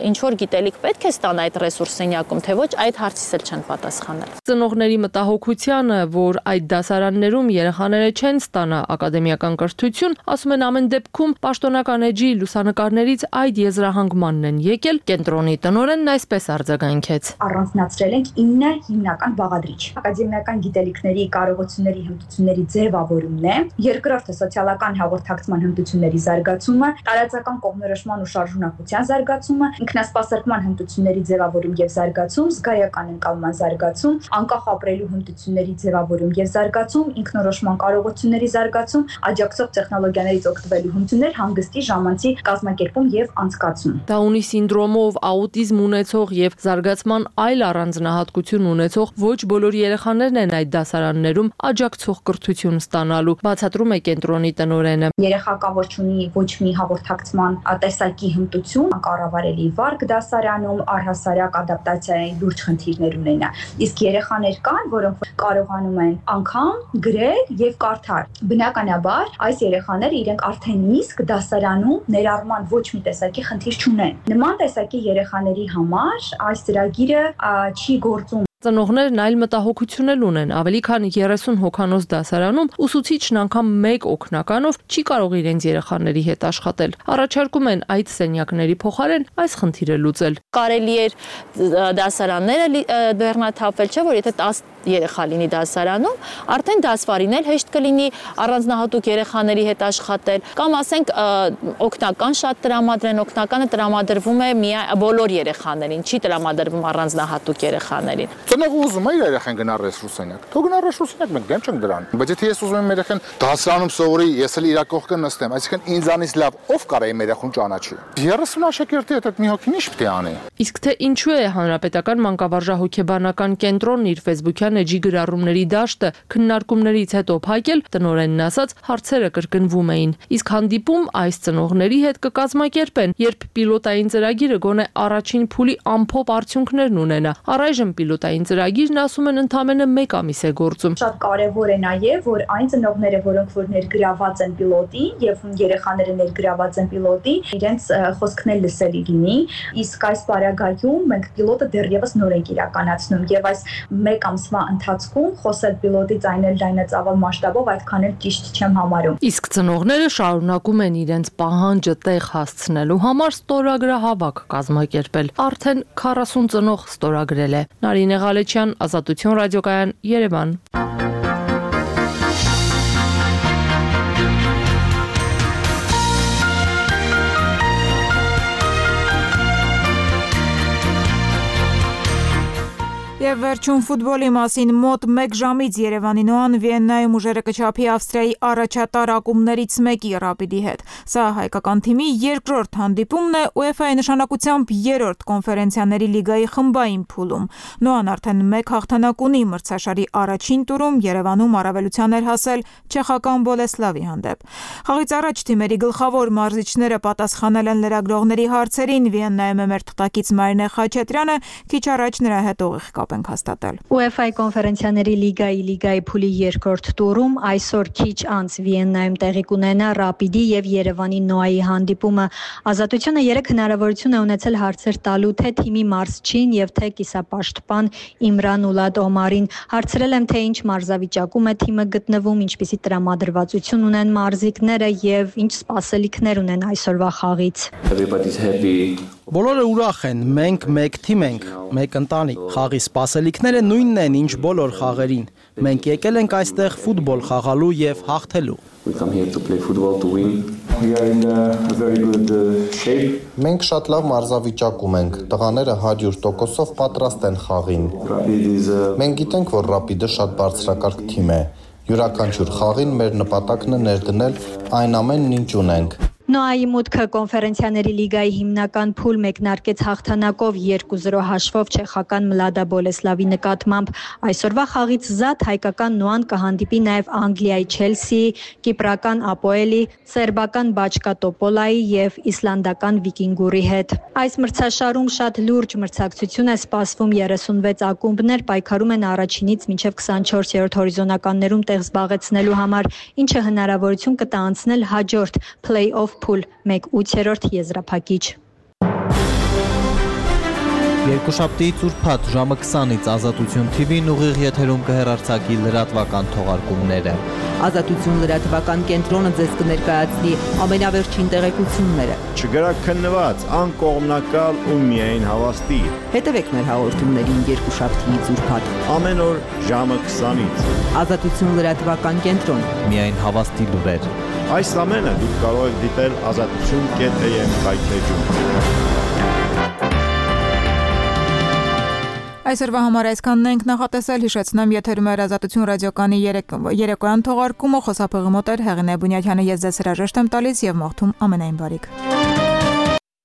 ինչ որ գիտելիք պետք է ստանա այդ ռեսուրս սենյակում, թե ոչ այդ հարցից էլ չեն պատասխանել։ Ծնողների մտահոգությանը, որ այդ դասարաններում երեխաները չեն ստանա ակադեմիական կրթություն, ասում են ամեն դեպքում պաշտոնական էջի լուսանկարներից այդ եզրահանգմանն են եկել, կենտրոնի տնօրենն այսպես արձագանքեց։ Առանձնացրել ենք 9 հիմնական բաղադրիչ։ Ակադեմիական գիտելիքների, կարողությունների, հմտությունների ձևավորումն է, երկրորդը սոցիալական հաղորդակցման հմտությունների զարգացումը, տարածական կողմնորոշման ու շարժունակության զարգացումը, ինքնասպասարկման հմտությունների ձևավորում եւ զարգացում, զգայական ընկալման զարգացում, անկախ ապրելու հմտությունների ձևավորում եւ զարգացում, ինքնորոշման կարողությունների զարգացում, աջակցող տեխնոլոգիաներից օգտվելու հմտություններ, հանգստի ժամանցի կազմակերպում եւ անցկացում։ Դաունի սինդրոմով, աուտիզմ ունեցող եւ զարգացման այլ առանձնահատկություն ունեցող ոչ բոլոր երեխաներն են այդ դասարաններում աջակցող կրթություն ստանալու, բացատրում է կենտրոնի տնօրենը։ Երեխա կա, որ ունի ոչ մի հաղորդակցման տեսակի հմտություն, կառավարելի վարկ դասարանում, առհասարակ ադապտացիայի լուրջ խնդիրներ ունենա։ Իսկ երեխաներ կան, որոնք կարողանում են անգամ գրել եւ կարդալ։ Բնականաբար, այս երեխաները իրենք արդեն իսկ դասարանում ներառման ոչ մի տեսակի խնդիր չունեն։ Նման տեսակի երեխաների համար այս ծրագիրը չի գործում։ Ծնողներն այլ մտահոգություն էլ ունեն, ավելի քան 30 հոգանոց դասարանում ուսուցիչն անգամ 1 օգնականով չի կարող իրենց երեխաների հետ աշխատել։ Առաջարկում են այդ սենյակների փոխարեն այս խնդիրը լուծել։ Կարելի էր դասարանները բեռնաթափել, չէ՞ որ եթե 10 երեխա լինի դասարանում, արդեն դասվարին էլ հեշտ կլինի առանձնահատուկ երեխաների հետ աշխատել, կամ ասենք օգնական շատ տրամադրեն, օգնականը տրամադրվում է բոլոր երեխաներին, չի տրամադրվում առանձնահատուկ երեխաներին։ Ծնողը ուզում է իր երեխան գնա ռեսուրս սենյակ։ Թող գնա ռեսուրս սենյակ, մենք դեմ չենք դրան։ Բայց եթե ես ուզում եմ երեխան դասարանում սովորի, ես էլ իր կողքը նստեմ, այսինքն ինձանից լավ ով կարա իմ երեխուն ճանաչի։ 30 աշակերտի հետ մի հոգին ինչ պետք է անի։ Իսկ թե ինչու է Հանրապետական մանկավարժահոգեբանական կենտրոնն իր Facebook-յան էջի գրառումների դաշտը քննարկումներից հետո փակել, տնօրենն ասաց, հարցերը կրկնվում էին։ Իսկ հանդիպում այս ծնողների հետ կկազմակերպեն, երբ պիլոտային ծրագիրը գոնե առաջին փուլի ամփոփ արդյունքներն ունենա։ Առայժմ պիլոտային ծրագիրն ասում են ընդամենը 1 ամիս է գործում։ Շատ կարևոր է նաև, որ այն ծնողները, որոնք որ ներգրաված են պիլոտին եւ երեխաները ներգրաված են պիլոտին, իրենց խոսքն էլ լսելի լինի։ Իսկ այս պարագայում մենք պիլոտը դեռևս նոր ենք իրականացնում եւ այս 1 ամսվա ընթացքում խոսել պիլոտից այն էլ լայնածավալ մասշտաբով այդքան էլ ճիշտ չեմ համարում։ Իսկ ծնողները շարունակում են իրենց պահանջը տեղ հասցնելու համար ստորագրահավաք կազմակերպել։ Արդեն 40 ծնող ստորագրել է։ Նարինե Ղալեչյան, Ազատություն ռադիոկայան, Երևան։ Եվ Եվ վերջում ֆուտբոլի մասին մոտ 1 ժամից Երևանի Նոան Վիեննայում ուժերը կչափի Ավստրիայի առաջատար ակումբներից մեկի Ռապիդի հետ։ Սա հայկական թիմի երկրորդ հանդիպումն է UEFA-ի նշանակությամբ 3-րդ կոնֆերենցիաների լիգայի խմբային փուլում։ Նոան արդեն 1 հաղթանակ ունի մրցաշարի առաջին տուրում Երևանում առավելության էր հասել չեխական Բոլեսլավի հանդեպ։ Խաղից առաջ թիմերի գլխավոր մարզիչները պատասխանել են լրագրողների հարցերին։ Վիեննայում է մեր թղթակից Մարինե Խաչատրյանը, քիչ առաջ նրա հետ ուղիղ կապ ենք հաստատել։ UEFA-ի կոնֆերենցիաների լիգայի փուլի երկրորդ տուրում այսօր քիչ անց Վիեննայում տեղի կունենա Ռապիդի եւ Երևանի Նոայի հանդիպումը։ Ազատությունը 3 հնարավորություն է ունեցել հարցեր տալու թե թիմի մարզչին եւ թե կիսապաշտպան Իմրան Ուլադ Օմարին։ Հարցրել եմ թե ինչ մարզավիճակում է թիմը գտնվում, ինչպիսի տրամադրվածություն ունեն մարզիկները եւ ինչ սպասելիքներ ունեն այսօրվա խաղից։ Բոլորը ուրախ են, մենք մեկ թիմ ենք, մեկ ընտանիք։ Խաղի սպասելիքները նույնն են, ինչ բոլոր խաղերին։ Մենք եկել ենք այստեղ ֆուտբոլ խաղալու եւ հաղթելու։ Մենք շատ լավ մարզավիճակում ենք, տղաները 100%-ով պատրաստ են խաղին։ Մենք գիտենք, որ Ռապիդը շատ բարձրակարգ թիմ է։ Յուրաքանչյուր խաղին մեր նպատակն է ներդնել այն ամենն, ինչ ունենք։ Նոայի մուտքը կոնֆերենցիաների լիգայի հիմնական փուլ մեկնարկեց հաղթանակով 2-0 հաշվով չեխական Մլադա Բոլեսլավի նկատմամբ։ Այսօրվա խաղից զատ հայկական Նոան կհանդիպի նաև Անգլիայի Չելսիի, կիպրական Ապոելի, սերբական Բաչկա Տոպոլայի եւ իսլանդական Վիկինգուրի հետ։ Այս մրցաշարում շատ լուրջ մրցակցություն է սպասվում 36 ակումբներ պայքարում են առաջինից մինչև 24-րդ հորիզոնականներում տեղ զբաղեցնելու համար, ինչը հնարավորություն կտա անցնել հաջորդ play-off փուլ 1/8 եզրափակիչ։ Երկուշաբթիից ուրբաթ ժամը 20-ից Ազատություն TV-ն ուղիղ եթերում կհեռարձակի լրատվական թողարկումները։ Ազատություն լրատվական կենտրոնը ձեզ կներկայացնի ամենավերջին տեղեկությունները։ Չգրակ քննված, անկողմնակալ ու միայն հավաստի։ Հետևեք մեր հաղորդումներին երկուշաբթիից ուրբաթ ամեն օր ժամը 20-ից։ Ազատություն լրատվական կենտրոն, միայն հավաստի լուրեր։ Այս ամենը դուք կարող եք դիտել azatutun.am կայքեջում։ Այսօրվա համար այսքանն ենք նախատեսել, հիշեցնեմ, եթերում էր Ազատություն ռադիոկայանի երեկոյան թողարկումը, խոսափողի մոտ էր Հեղինե Բունյաթյանը, ես ձեզ հրաժեշտ եմ տալիս եւ մաղթում ամենայն բարիք։